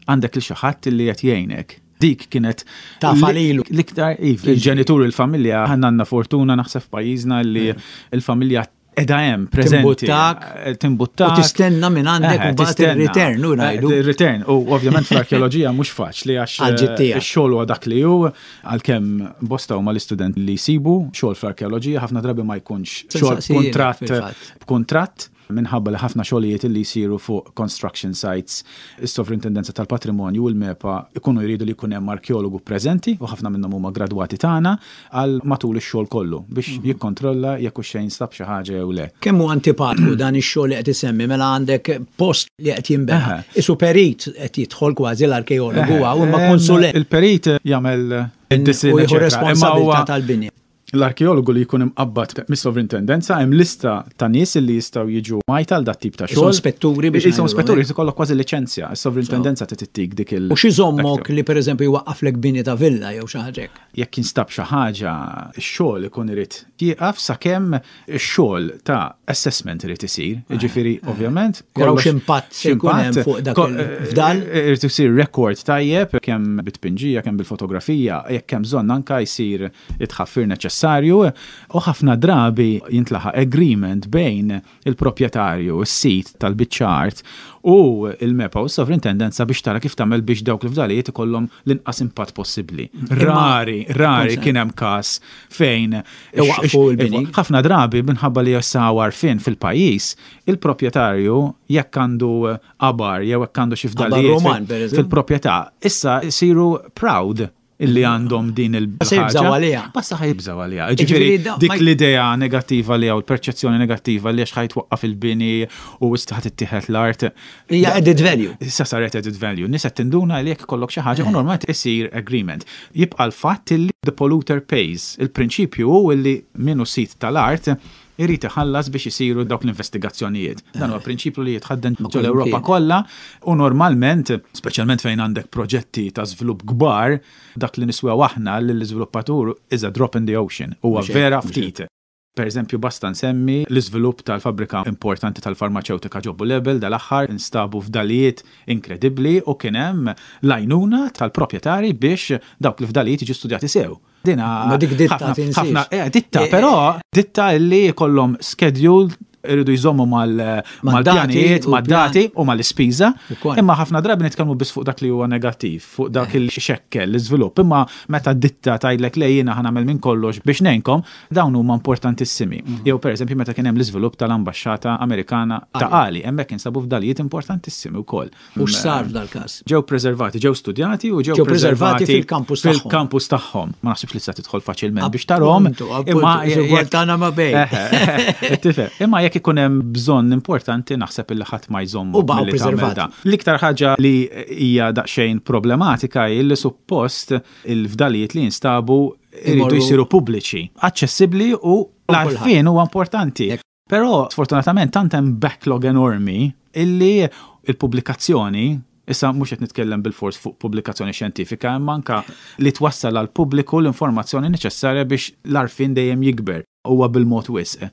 għandek lil xi ħadd li qed jgħinek. Dik kienet Ta' falilu. L-iktar, iva, il-ġenituri, il-familja, aħna għandna fortuna naħseb f'pajjiżna li il-familja edha hemm preżenti. Timbuttak. Eh, Timbuttak. U tistenna minn għandek Eh, u mbagħad tistenna. ir-return, u ngħidu. Eh, Il-return, u ovvjament fl-arkeoloġija mhux faċli għax Għal-ġid tiegħek. ix-xogħol huwa dak li hu, għalkemm bosta huma l-istudent li jsibu xogħol fl-arkeoloġija ħafna drabi ma jkunx xogħol Sensaqsijilek b'kuntratt fil-fatt. b'kuntratt minħabba li ħafna xogħlijiet li jsiru fuq construction sites, is-Sovrintendenza tal-Patrimonju u l-MEPA ikunu jridu li jkun hemm arkeologu preżenti u ħafna minnhom huma gradwati tagħna għal matul ix-xogħol kollu biex Mhm. jikkontrolla jekk hux xejn stab xi ħaġa jew le. Kemm hu antipatku dan ix-xogħol li qed isemmi mela għandek post li qed jinbena. Isu perit qed jidħol kważi l-arkeologu hawn imma konsulent Il-perit jagħmel id-disinn, u jieħu eċetera. Imma responsabilità huwa tal-binja. L-arkeologu li jkun imqabbad mis-sovrintendenza hemm lista ta' nies li jistgħu jiġu majta għal dat tip ta' Isom xogħol. spetturi biex Isom ngħidu, spetturi, eh? jkollok kważi liċenzja. Is-sovrintendenza tittik dik il- U xi żommok li pereżempju jwaqqaflek bini ta' villa jew xi ħaġa hekk. Jekk jinstab xi ħaġa, ix-xogħol ikun irid jieqaf sakemm ix-xogħol ta' assessment irid isir. Jiġifieri ovvjament Jaraw kollox- x'impatt se jkun hemm x'impatt, fuq dak ko- il-fdal. eh, Irid isir rekord tajjeb kemm bit-tpinġija, kemm bil-fotografija, jekk hemm bżonn anka jsir it-tħaffir neċessarju u ħafna drabi jintlaħaq agreement bejn il-proprjetarju, is-sit tal-biċċa art u il-MEPA u s-sovrintendenza biex tara kif tagħmel biex dawk l-fdalijiet ikollhom l-inqas impatt possibbli. Rari, rari kien hemm każ fejn Iwaqfu l-bini. ħafna drabi minħabba li issa għarfien fil-pajjiż, il-proprjetarju jekk għandu qabar jew jekk għandu xi fdalijiet Roman, per eżempju. fil-proprjetà, issa jsiru proud illi għandhom din il Se jibżgħu għaliha. Basta ħa jibżgħu għaliha. Jiġifieri Ġifieri da- dik ma- l-idea negattiva li hawn il-perċezzjoni negattiva li għax ħa jitwaqqaf il-bini u issa ħa tittieħed l-art. Hija added value. Issa saret added value. Nies qed tinduna li jekk ikollok xi ħaġa u normalment isir agreement. Jibqa' l-fatt li the polluter pays. Il-prinċipju hu li min hu sid tal-art irid iħallas biex isiru dawk l-investigazzjonijiet. Dan huwa prinċipju li jitħadden Ma' ġol Ewropa kullimkien. kollha u normalment, speċjalment fejn għandek proġetti ta' żvilupp kbar, dak li niswew aħna lill-iżviluppatur is a drop in the ocean. Huwa Mhux hekk, vera mhux ftit. Per eżempju, basta nsemmi l-iżvilupp tal-fabbrika importanti tal-farmaceutika ġo Bulebel dal-aħħar instabu fdalijiet inkredibbli u kien hemm l-għajnuna tal-proprjetari biex dawk l-fdalijiet jiġu studjati sew. Dina Ma dik ditta ħafna- tinsiex. ħafna- eh, ditta, Eh, però ditta illi jkollhom schedule irridu jżommu mal- Mad-dati mal-pjanijiet, u mad-dati u mal-ispiża. Ukoll. Imma ħafna drabi nitkellmu biss fuq dak li huwa negattiv, fuq dak li xekkel l-iżvilupp. Imma meta ditta tgħidlek le jiena ħa nagħmel minn kollox biex ngħinkom, dawn huma importantissimi. Jew pereżempju meta kien hemm l-iżvilupp tal-ambaxxata Amerikana ta' Qali, hemmhekk insabu fdalijiet importantissimi wkoll. U x'sar f'dal-każ? Ġew preservati, ġew studjati u ġew Ġew preservati preservati fil-kampus tagħhom. Fil-kampus tagħhom. Ma naħsibx li se tidħol faċilment biex tarahom. Appuntu, appuntu, jekk- tagħna ma bejn. Eh, Tifhem. Imma jekk ikun hemm bżonn importanti naħseb illi ħadd ma jżommu U baqgħu milli tagħmel preservati. dan. L-iktar ħaġa li hija daqsxejn problematika hi li suppost il-fdalijiet li jinstabu iridu Imorru- jsiru pubbliċi, aċċessibbli u l-għarfien huwa importanti. Jekk- Però sfortunatament tant hemm backlog enormi illi il-pubblikazzjoni Issa mhux qed nitkellem bil-fors fuq pubblikazzjoni xjentifika, imma anka li twassal għal pubbliku l-informazzjoni neċessarja biex l-għarfien dejjem jikber huwa bil-mod wisq.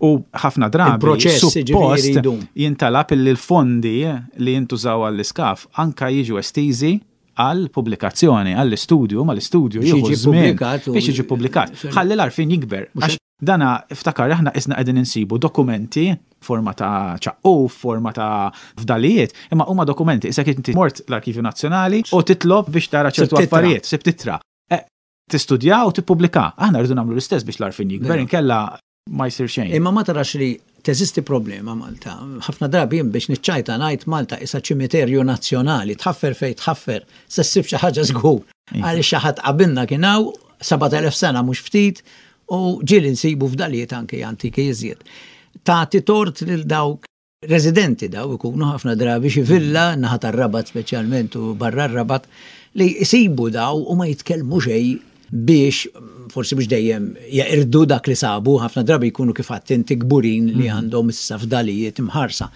U ħafna drabi Il-proċess, jiġifieri, suppost jdum. jintalab illi l-fondi li jintużaw għall-iskav anka jiġu estiżi għal pubblikazzjoni, għall-istudju, ma l-istudju Biex jieħu jiġi żmien pubblikat u- biex jiġi pubblikat. Ħalli l-għarfien jikber. Għax dana iftakar aħna isna qegħdin insibu dokumenti forma ta' ċaqquf, forma ta' fdalijiet, imma huma dokumenti. Issa inti mort l-Arkivju Nazzjonali u titlob biex tara ċertu Sibt ittra. affarijiet, sibt ittra. Eh, Tistudja u tippubblika. Aħna rridu nagħmlu l-istess biex l-għarfien jikber, inkella ma jsir xejn. Imma ma tarax li teżisti problema Malta. Ħafna drabi jien biex niċċajta ngħid Malta isa ċimiterju nazzjonali, tħaffer fej tħaffer, se ssib xi ħaġa żgur. Għaliex xi ħadd qabilna kien hawn sebat elef sena mhux ftit u ġieli nsibu fdalijiet anke antiki iżjed. Tagħti tort lil dawk residenti daw ikunu ħafna drabi xi villa naħa tar-Rabat speċjalment u barra r-Rabat li jsibu daw u ma jitkellmu xejn. biex forsi biex dejjem jaqirdu dak li sabu, ħafna drabi jkunu kif għedt inti kburin li mhm. għandhom issa fdalijiet imħarsa.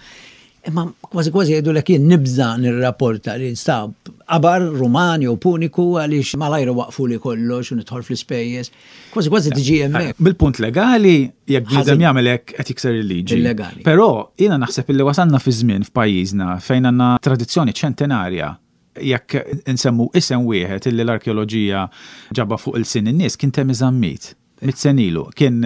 Imma kważi kważi jgħidu lek jien nibża nirrapporta li nstab qabar Ruman jew Puniku għaliex malajr waqfu li kollox u nidħol fl-ispejjeż. Kważi kważi tiġi hemmhekk. Bil-punt legali, jekk bniedem jagħmel hekk qed jikser il-liġi. Illegali. Però jiena naħseb illi wasalna fi żmien f'pajjiżna fejn għandna tradizzjoni ċentenarja jekk insemmu isem wieħed illi l-arkeoloġija ġabha fuq ilsien in-nies kien Temi Zammit. Mitt sena ilu. Kien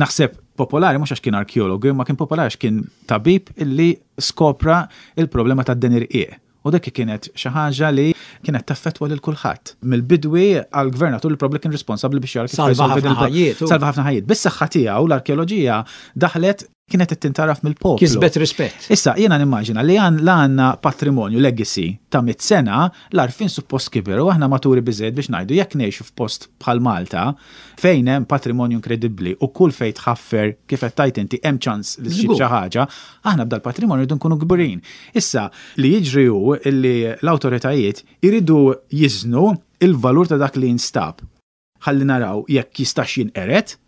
naħseb popolari mhux għax kien arkeologu, imma kien popolari għax kien tabib illi skopra il-problema tad-deni rqiq. U dik kienet xi ħaġa li kienet taffettwa lil kulħadd. Mill-bidwi għall-gvernatur li probably kien responsabbli biex jara kif Salva ħafna ħajjiet. Salva ħafna ħajjiet. Bis-saħħa tiegħu l-arkeoloġija daħlet kienet qed tintaraf mill-poplu. Kisbet rispett. Issa jiena nimmaġina li għan la għandna patrimonju legacy ta' mitt sena l-għarfien suppost kiber u aħna maturi biżejjed biex ngħidu jekk ngħixu f'post bħal Malta fejn hemm patrimonju inkredibbli u kull fejn tħaffer kif qed tgħid inti hemm ċans li ssib xi ħaġa, aħna b'dal patrimonju rridu nkunu kburin. Issa li jiġri hu li l-awtoritajiet iridu jiżnu il-valur ta' dak li jinstab. Ħalli naraw jekk jistax jinqered.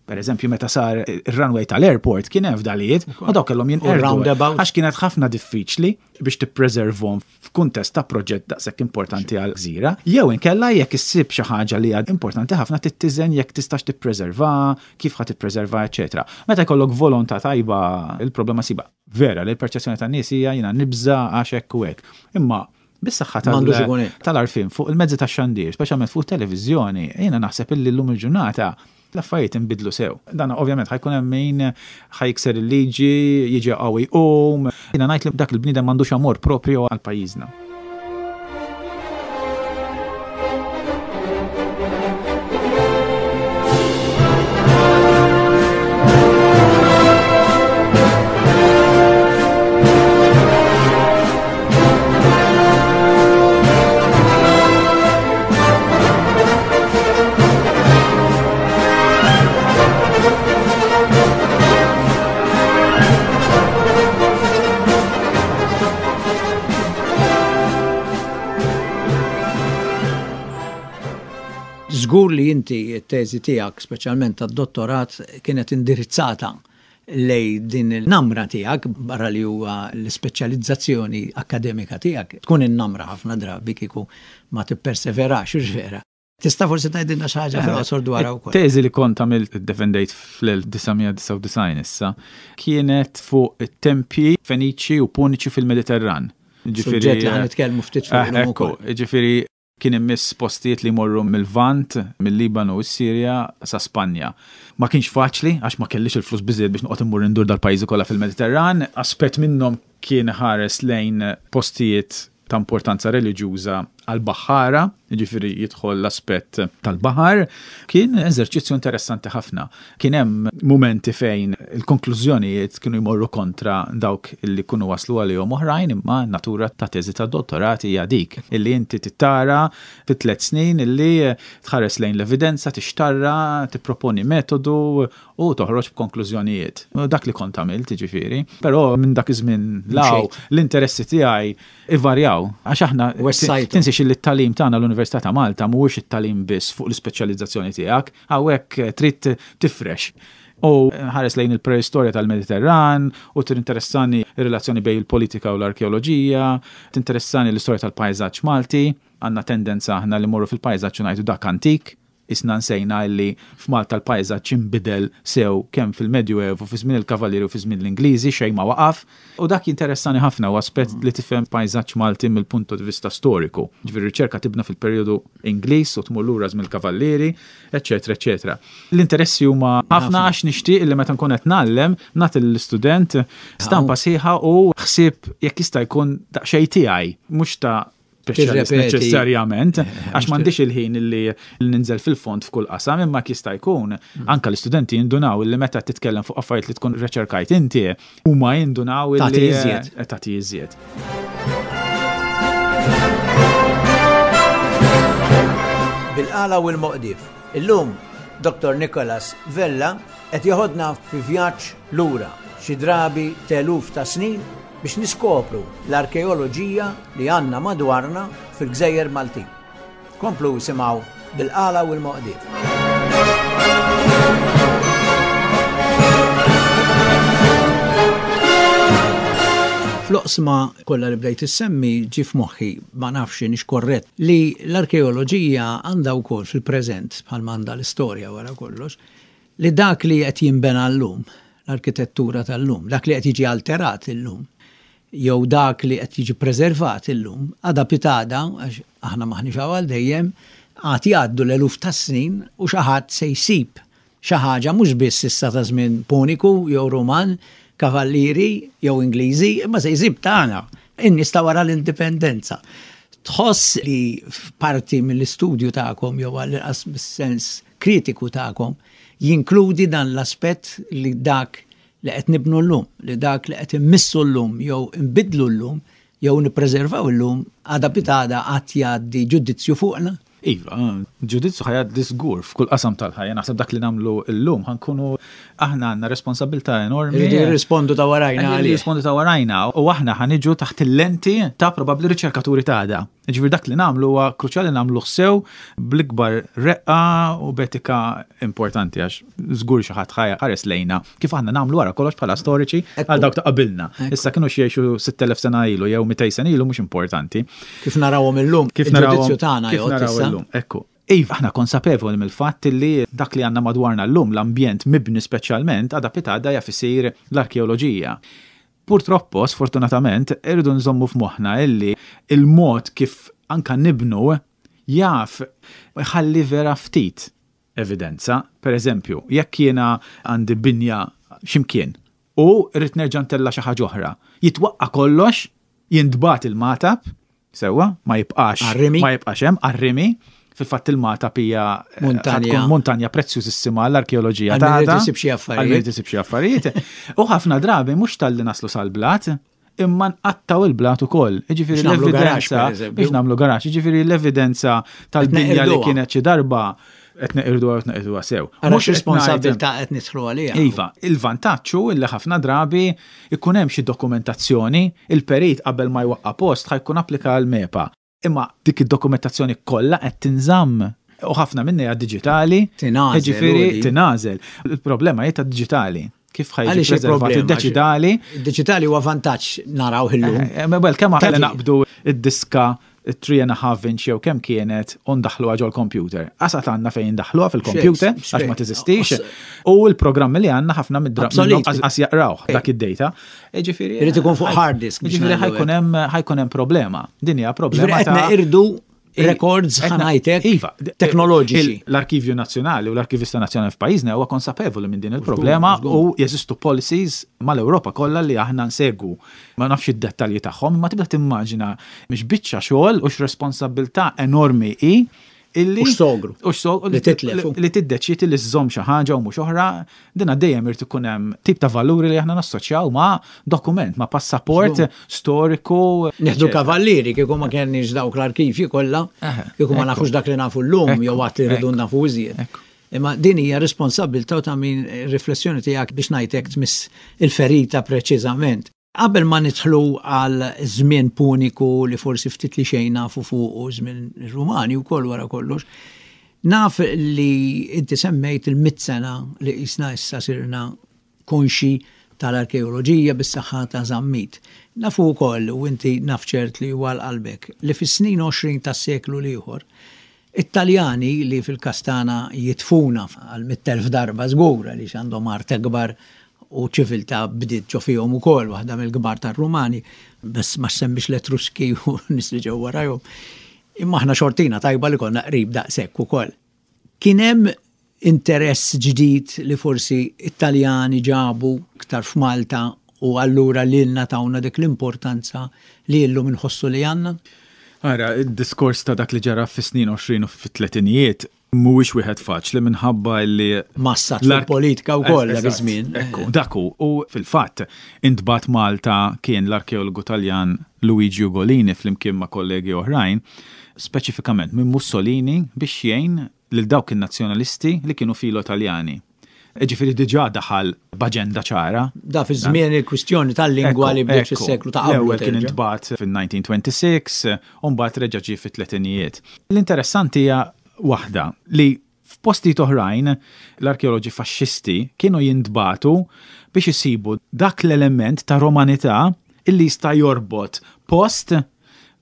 Per eżempju, meta sar ir-runway tal-airport kien hemm fdalijiet u dawk kellhom jinqerdu. Għax kienet ħafna diffiċli biex tippreservhom f'kuntest ta' proġett daqshekk importanti għal gżira. Jew inkella jekk issib xi ħaġa li hija importanti ħafna tittiżen jekk tistax tippreserva, kif ħa tippreserva, eċetera. Meta jkollok volontà tajba, il-problema siba. Vera li l-perċezzjoni tan-nies hija jiena nibża għax hekk u hekk. Imma bis-saħħa tal-għarfien fuq il-mezzi tax-xandir, speċjalment fuq televiżjoni, jiena naħseb illi llum il-ġurnata l-affarijiet inbidlu sew. Dan ovvjament ħajkun hemm min ħajkser il-liġi, jiġi qawwi jqum. Jiena ngħid li dak il-bniedem m'għandux amor propju għal pajjiżna. Żgur li inti t-teżi tiegħek, speċjalment tad-dottorat, kienet indirizzata lej din il-namra tiegħek, barra li huwa l-ispeċjalizzazzjoni akkademika tiegħek, tkun in-namra ħafna drabi kieku ma tipperseverax, hux vera. Tista' forsi tgħidilna xi ħaġa fil-qosor dwarha wkoll. Teżi li kont għamilt iddefendejt fl-elf disa' mija disgħa u disgħin issa, kienet fuq it-tempji Feniċi u Puniċi fil-Mediterran. Ġifieri, Suġġett li ħa nitkellmu ftit fuq eh, ekku, ġifieri kien immiss postijiet li jmorru mill-Lvant, mill-Libanu u s-Sirja sa Spanja. Ma kienx faċli, għax ma kellix il-flus biżejjed biex noqgħod immur indur dal-pajjiżi kollha fil-Mediterran. Aspett minnhom kien ħares lejn postijiet ta' importanza reliġjuża għal-baħħara, jiġifieri jidħol l-aspett tal-baħar. Kien eżerċizzju interessanti ħafna. Kien hemm mumenti fejn il-konklużjonijiet kienu jmorru kontra dawk li kunu waslu għalihom oħrajn, imma natura ta' teżi ta' dottorat hija dik illi inti tittara fi tliet snin illi tħares lejn l-evidenza, tixtarra, tipproponi metodu u toħroġ b'konklużjonijiet. U dak li kont għamilt, jiġifieri. Però minn dak iż-żmien law l-interessi tiegħi ivarjaw, għax aħna Wessajtu. tinsiex li t-tagħlim tagħna l-Università ta' Malta mhuwiex it-tagħlim biss fuq l-ispeċjalizzazzjoni tiegħek, hawnhekk trid tifrex. U ħares lejn il-preistorja tal-Mediterran, u tinteressani r-relazzjoni bejn il-politika u l-arkeoloġija, tinteressani l-istorja tal-pajżaġġ Malti, għandna tendenza aħna li morru fil-pajżaġġ u ngħidu dak antik, isna nsejna li f'Malta l-pajżaġġ inbidel sew kemm fil-Medjuevu, fi żmien il-Kavallieri u fi żmien l-Ingliżi, xejn ma waqaf. U dak jinteressani ħafna u aspett li tifhem pajżaġġ Malti mill-punt di vista storiku. Ġifieri riċerka tibna fil-perjodu Ingliż u tmur lura żmien il-Kavallieri, eċetera, eċetera. L-interessi huma ħafna għax nixtieq li meta nkun qed ngħallem nagħti lill-istudent stampa sħiħa u ħsieb jekk jista' jkun daqsxejn tiegħi, mhux ta' speċjalist Tirrepeti. neċessarjament, Eh, għax m'għandix il-ħin illi ninżel fil-fond f'kull qasam, imma jista' jkun anka l-istudenti jindunaw illi meta titkellem fuq affarijiet li tkun reċerkajt inti, huma jindunaw illi Tagħti iżjed. Eh, tagħti iżjed. Bil-qala u l-moqdif. Illum, Doktor Nicholas Vella qed joħodna fi vjaġġ lura xi drabi teluf ta' snin biex niskopru l-arkeoloġija li għandna madwarna fil-Gżejjer Maltin. Komplu simgħu Bil-Qala u l-Moqdief. Fl-oqsma kollha li bdejt issemmi ġie f'moħħi, ma nafx inhix korrett, li l-arkeoloġija għandha wkoll fil-preżent, bħalma għandha l-istorja wara kollox, li dak li qed jinbena llum, l-arkitettura tal-lum, dak li qed jiġi alterat illum, jew dak li qed jiġi preservat illum, għada pitada, għax aħna maħniex hawn għal dejjem, għad jgħaddu l-eluf ta' snin u xi ħadd se jsib xi ħaġa mhux biss issa ta' żmien Puniku jew Ruman, kavallieri jew Ingliżi, imma se jsib tagħna, in-nies ta' wara l-indipendenza. Tħoss li f'parti mill-istudju tagħkom jew għall-inqas mis-sens kritiku tagħkom jinkludi dan l-aspett li dak li qed nibnu llum, li dak li qed immissu llum jew nbidlu llum jew nippreservaw illum għada pitada qatt jgħaddi ġudizzju fuqna? Iva, ġudizzju ħa jgħaddi żgur f'kull qasam tal-ħajja. Naħseb dak li nagħmlu llum ħankunu aħna għandna responsabilità enormi. Irridu jirrispondu ta' warajna Irridu għalih. jirrispondu ta' warajna u aħna ħaniġu taħt il-lenti ta' probabbli riċerkaturi ta' għada. Ġifieri dak li nagħmlu huwa kruċjali nagħmluh sew bl-ikbar reqqa u b'etika importanti għax żgur xi ħadd ħares lejna kif aħna nagħmlu wara kollox bħala storiċi għal dawk ta' qabilna. Issa kienu xi jgħixu sitt elef sena ilu jew mitej sena ilu mhux importanti. Kif narawhom illum, Kif narawhom il-ġudizzju tagħna kif jgħod naraw issa. illum. Ekku. Iva, aħna konsapevoli mill-fatt li dak li għandna madwarna llum, l-ambjent mibni speċjalment, għada pitada jaf isir l-arkeoloġija. Purtroppo, sfortunatament, irridu nżommu f'moħħna illi il-mod kif anka nibnu jaf ħalli vera ftit evidenza. Per eżempju, jekk jiena għandi binja x'imkien u rrid nerġa' ntella' xi ħaġa oħra, jitwaqqa' kollox, jintbagħat il-matab, sewwa, ma jibqax Għar-rimi. ma jibqax hemm, għar-rimi. Fil-fatt il-matab hija, eh, Muntanja. tkun muntanja prezzjużissima għall-arkeoloġija Għal min irid tagħna. isib xi affarijiet. Għal min irid isib xi affarijiet. U ħafna drabi mhux talli naslu sal-blat, imma nqattaw il-blat ukoll. Jiġifieri Biex nagħmlu garax, l-evidenza per eżempju. biex nagħmlu garax, jiġifieri l-evidenza tal-binja li neqirduha. kienet xi darba qed neqirduha u qed neqirduha sew. Ara Mhux qed x'responsabilità qed nidħlu għaliha. Iva, il-vantaġġ hu li ħafna drabi ikun hemm xi dokumentazzjoni, il-perit qabel ma jwaqqa' post ħa jkun applika l-MEPA. Imma dik id-dokumentazzjoni kollha qed tinżamm u ħafna minnha hija diġitali. Tingħażel, Jiġifieri u di. tingħażel. Il-problema hi ta' diġitali. Kif ħa jiġi Għaliex preservat il-problema? id-diġitali? Id-diġitali huwa vantaġġ naraw illum. Eh, eh, well, kemm aħna Tati. naqbdu id-diska three and a half inch jew kemm kienet u ndaħluha ġol-computer. Qasat għandna fejn ndaħluha fil-computer Xejn, għax ma teżistix. xejn. U l-programmi li għandna ħafna mid-dra- Obsolet. minnhom qas qas jaqrawh dak id-data. Jiġifieri, Irid ikun fuq hard disk biex Jiġifieri ngħidu ħa jkun hemm, ħa jkun hemm problema. Din hija problema Ġifieri qed ta' neqirdu records Etna- ħa ngħidlek Iva, teknoloġiċi. il- L-Arkivju Nazzjonali u l-Arkivista Nazzjonali f'pajjiżna huwa konsapevoli minn din il-problema żgur. u jeżistu policies mal-Ewropa kollha li aħna nsegwu. Ma nafx id-dettalji tagħhom, imma tibda timmaġina mhix biċċa xogħol u x'responsabilità enormi hi illi U x'sogru. U x'sogru Li titlef. li, li tiddeċidi li żżomm xi ħaġa u mhux oħra, dina dejjem irid ikun hemm tip ta' valuri li aħna nassoċjaw ma' dokument, ma' passaport Żgur. storiku. Nieħdu kavallieri kieku ma kenniex dawk l-arkivji kollha, Eħe, kieku ma ekku. nafux dak li nafu llum Ekku, jew għad li rridu ekku, nafu iżjed. ekku. Imma din hija responsabilità ta' min riflessjoni tiegħek biex ngħidlek tmiss il-ferita preċiżament. Qabel ma nidħlu għal żmien puniku li forsi ftit li xejn nafu fuq u żmien Rumani wkoll wara kollox, naf li inti semmejt il-mitt sena li qisna issa sirna konxi tal-arkeoloġija bis-saħħa ta' Zammit. Nafu wkoll, u inti naf ċert li huwa qalbek, li fis-snin għoxrin tas-seklu l-ieħor, Italjani li fil-Kastana jitfuna għal mitt elf darba żgur għaliex għandhom art akbar u ċiviltà bdiet ġo fihom ukoll, waħda mill-kbar tar-Rumani, bas ma semmix l-Etruski u nies li ġew warajhom. Imma aħna xortina tajba li konna qrib daqshekk ukoll. Kien hemm interess ġdid li forsi Italjani ġabu iktar f'Malta u allura lilna tawna dik l-importanza li llum inħossu li għandna? Ara, id-diskors ta' dak li ġara fis-snin għoxrin u fit-tletinijiet mhuwiex wieħed faċli minħabba li Massat l-ark- fil-politika wkoll dak Eżatt, iż-żmien. Ekku, dak hu. U fil-fatt, intbagħat Malta kien l-arkeologu Taljan Luigi Ugolini flimkien ma' kollegi oħrajn, speċifikament minn Mussolini biex jgħin lil dawk in-nazzjonalisti li kienu filo Taljani. Ġifieri diġà daħal b'aġenda ċara. Da fi żmien il-kwistjoni tal-lingwa li bdiet fis-seklu ta' qablu. L-ewwel kien terġa'. intbagħat fin-nineteen twenty-six, u mbagħad reġa' ġie fit-tletinijiet. L-interessanti hija waħda li f'postijiet oħrajn l-arkeoloġi faxxisti kienu jintbagħtu biex isibu dak l-element ta' romanità illi jista' jorbot post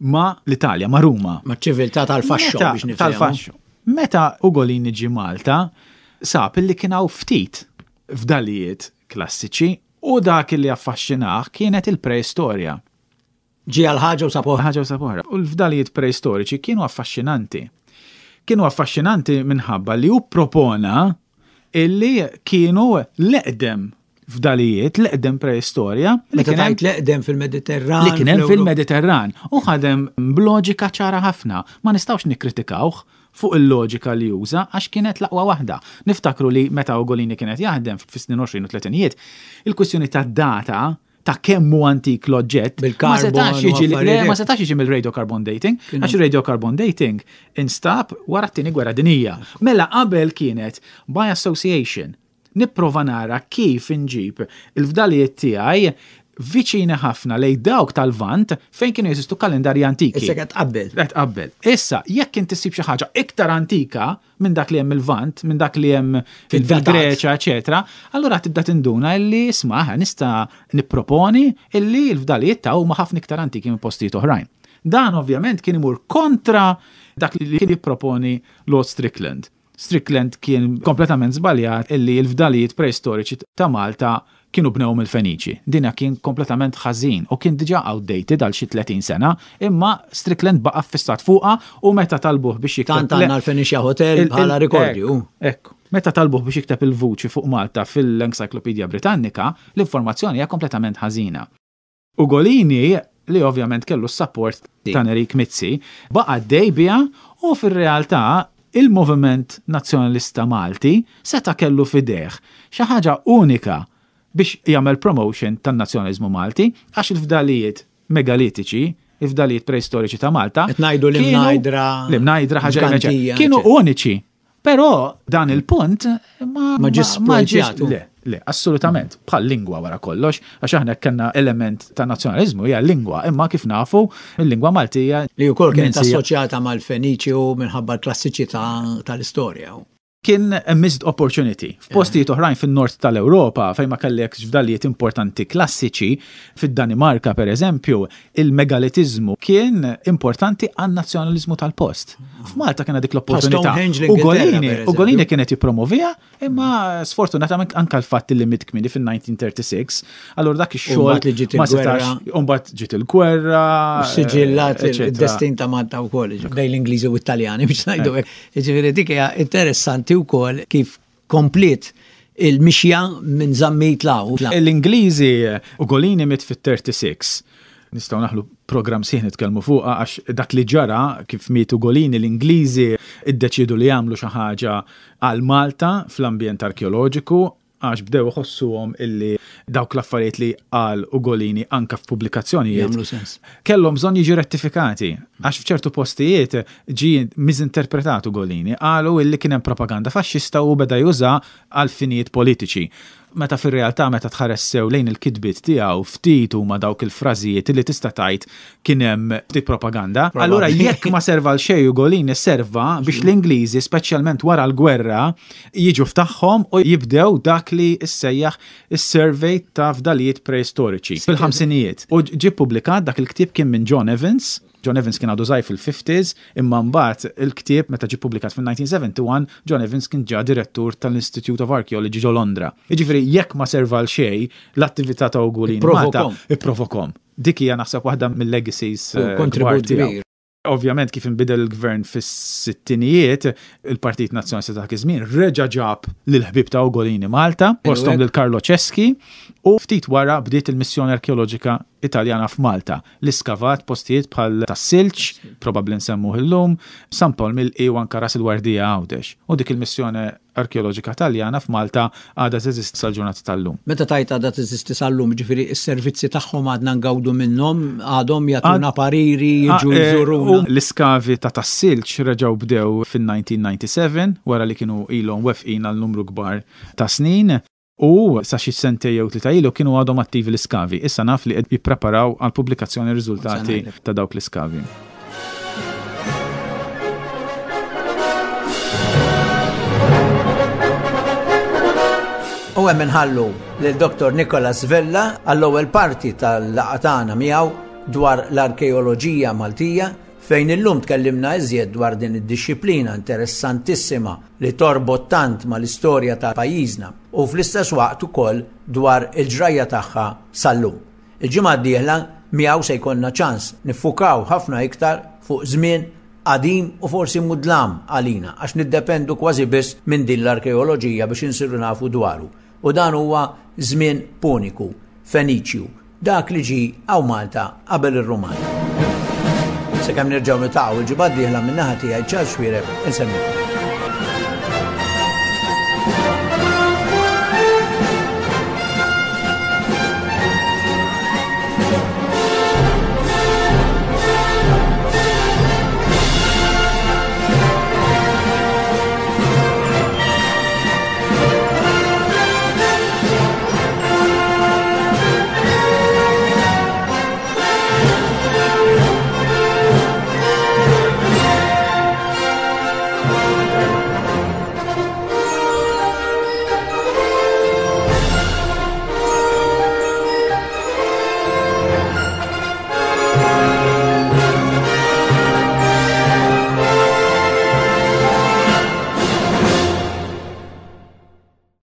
ma' l-Italja, ma' Ruma. Ma' ċiviltà tal-faxxo biex nifhmu. Tal-faxxo. Meta Ugolini ġie Malta, sab illi kien hawn ftit fdalijiet klassiċi u dak li affaxxinah kienet il-preistorja. Ġie għal ħaġa u sab oħra. Ħaġa u sab oħra. U l-fdalijiet preistoriċi kienu affaxxinanti. Kienu affaxxinanti minħabba li hu propona illi kienu l-eqdem fdalijiet, l-eqdem preistorja. Li kien hemm l-eqdem fil-Mediterran. Li kien hemm fil-Mediterran. U ħadem b'loġika ċara ħafna. Ma nistgħux nikkritikawh fuq il-loġika li juża għax kienet l-aqwa waħda. Niftakru li meta Ugolini kienet jaħdem fis-snin għoxrin u tletinijiet, il-kwistjoni ta' data ta' kemm hu antik l-oġġett ma setax jiġi ma setax jiġi mill-radiocarbon dating, għax il-radiocarbon dating instab wara t-tieni gwerra dinija. Mela qabel kienet by association. Nipprova nara kif inġib il-fdalijiet tiegħi viċini ħafna lej dawk tal-Lvant fejn kienu jeżistu kalendarji antiki. Issa qed tqabbel. Qed tqabbel. Issa, jekk inti ssib xi ħaġa iktar antika minn dak li hemm il-Lvant, minn dak li hemm fil-Greċja, eċetera, allura tibda tinduna illi isma' nista' nipproponi illi l-fdalijiet ta' huma ħafna iktar antiki minn postijiet oħrajn. Dan ovvjament kien imur kontra dak li kien jipproponi Lord Strickland. Strickland kien kompletament żbaljat illi l-fdalijiet preistoriċi ta' Malta kienu bnew mill-Feniċi. Dina kien kompletament ħażin u kien diġà outdated għal xi tletin sena, imma Strickland baqa' fissat fuqha u meta talbuh biex jikteb Tant għandna l-Fenicia Hotel bħala rikordju. Ekku. Meta talbuh biex jikteb il-vuċi fuq Malta fil-Encyclopedia Britannica, l-informazzjoni hija kompletament ħażina. Ugolini, li ovvjament kellu s-support ta' Nerik Mizzi, baqa' għaddej biha u fir-realtà il-moviment nazzjonalista Malti seta' kellu fideh xi ħaġa unika biex jagħmel promotion tan-nazzjonaliżmu Malti għax il-fdalijiet megalitiċi, il-fdalijiet preistoriċi ta' Malta Qed ngħidu l-Imnajdra, l-Imnajdra ħaġa Ġgantija, kienu eċetera. uniċi. Però dan il-punt ma Ma ġiex ma ġiex splojtjatu. Le, le, assolutament, bħal lingwa wara kollox, għax aħna kellna element ta' nazzjonaliżmu hija lingwa, imma kif nafu il-lingwa Maltija li wkoll kienet minsija. assoċjata mal-Feniċi u minħabba l-klassiċità tal-istorja. Kien a missed opportunity. F'postijiet oħrajn fin-nord tal-Ewropa, fejn ma kellek fdalijiet importanti klassiċi, fid-Danimarka per eżempju, il-megalitizmu kien importanti għan-nazzjonaliżmu tal-post. F'Malta kien dik l-opportunità. Stonehenge l-Ingilterra, Ugolini, per eżempju. Ugolini kienet jippromovija, imma sfortunatament anka l-fatt li miet kmieni fin-nineteen thirty-six, allura dak ix-xogħol Umbagħad li ġiet ma setax, il-gwerra. umbagħad ġiet il-gwerra, Siġillat eċetera. il-destin ta' Malta wkoll, bejn l-Ingliżi u t-Taljani biex ngħidu hekk. Jiġifieri dik hija interessanti wkoll kif komplet il-mixja minn Zammit law. L-Ingliżi Ugolini miet fit-thirty-six. Nistgħu naħlu program sieħ nitkellmu fuqha għax dak li ġara kif miet Ugolini l-Ingliżi iddeċiedu li jagħmlu xi ħaġa għal Malta fl-ambjent arkeoloġiku għax bdew iħossuhom illi dawk l-affarijiet li qal Ugolini anka f'pubblikazzjonijiet Jagħmlu sens. kellhom bżonn jiġu rettifikati għax f'ċertu postijiet ġie miżinterpretat Ugolini, qalu illi kien hemm propaganda faxxista u beda juża għal finijiet politiċi. Meta fir-realtà meta tħares sew lejn il-kitbiet tiegħu ftit huma dawk il-frażijiet li tista' tgħid kien hemm ftit propaganda. Probabbli. Allura jekk ma serva l xejn Ugolini serva biex l-Ingliżi speċjalment wara l-gwerra jiġu f'tagħhom u jibdew dak li issejjaħ is-survey ta' fdalijiet preistoriċi fil-ħamsinijiet. U ġie ppubblikat dak il-ktieb kien minn John Evans. John Evans kien għadu żgħir fil-fifties, imma mbagħad il-ktieb meta ġie ppubblikat fil-nineteen seventy-one, John Evans kien ġa direttur tal-Institute of Archaeology ġo Londra. Jiġifieri jekk ma serva l xejn l-attività ta' Ugolini Malta, Ipprovokom. ipprovokom. Dik hija naħseb waħda mill-legacies, U eh, kontribut kbar tiegħu. kbir. Ovvjament kif inbidel il-gvern fis-sittinijiet, il-Partit Nazzjonalista ta' dak iż-żmien reġa' ġab lill-ħbieb ta' Ugolini Malta, fosthom lil Carlo Ceschi, u ftit wara bdiet il-missjoni arkeoloġika Italjana f'Malta li skavat postijiet bħal tas-Silġ, probabbli nsemmuh illum, San Pawl Milqi u anka Ras il-Wardija Għawdex. U dik il-missjoni arkeoloġika Taljana f'Malta għadha teżisti sal-ġurnata tal-lum. Meta tajt għadha teżisti sal-lum, ġifieri s-servizzi tagħhom għadna ngawdu minnhom, għadhom jagħtuna Għad- pariri, jiġu Ah, eh, jżuruna. U l-iskavi ta' tas-Silġ reġgħu bdew fin-nineteen ninety-seven, wara li kienu ilhom wefqin għal numru kbar ta' snin. U sa xi sentej jew tlieta ilu kienu għadhom attivi l-iskavi. Issa naf li qed jippreparaw għal pubblikazzjoni riżultati ta' dawk l-iskavi. U hemm inħallu lil Dottor Nicholas Vella għall-ewwel parti tal-laqgħa tagħna miegħu dwar l-arkeoloġija Maltija, fejn illum tkellimna iżjed dwar din id-dixxiplina interessantissima li torbot tant mal-istorja ta' pajjiżna u fl-istess waqt ukoll dwar il-ġrajja tagħha sal-lum. Il-ġimgħa d-dieħla miegħu se jkollna ċans niffukaw ħafna iktar fuq żmien qadim u forsi mudlam għalina, għax niddependu kważi biss minn din l-arkeoloġija biex insiru nafu dwaru. U dan huwa żmien Puniku, Feniċju, dak li ġie hawn Malta qabel ir-Rumani. Sakemm nerġgħu niltaqgħu il-ġimgħa d-dieħla, min-naħa tiegħi, Charles Xuereb, insellmilkom.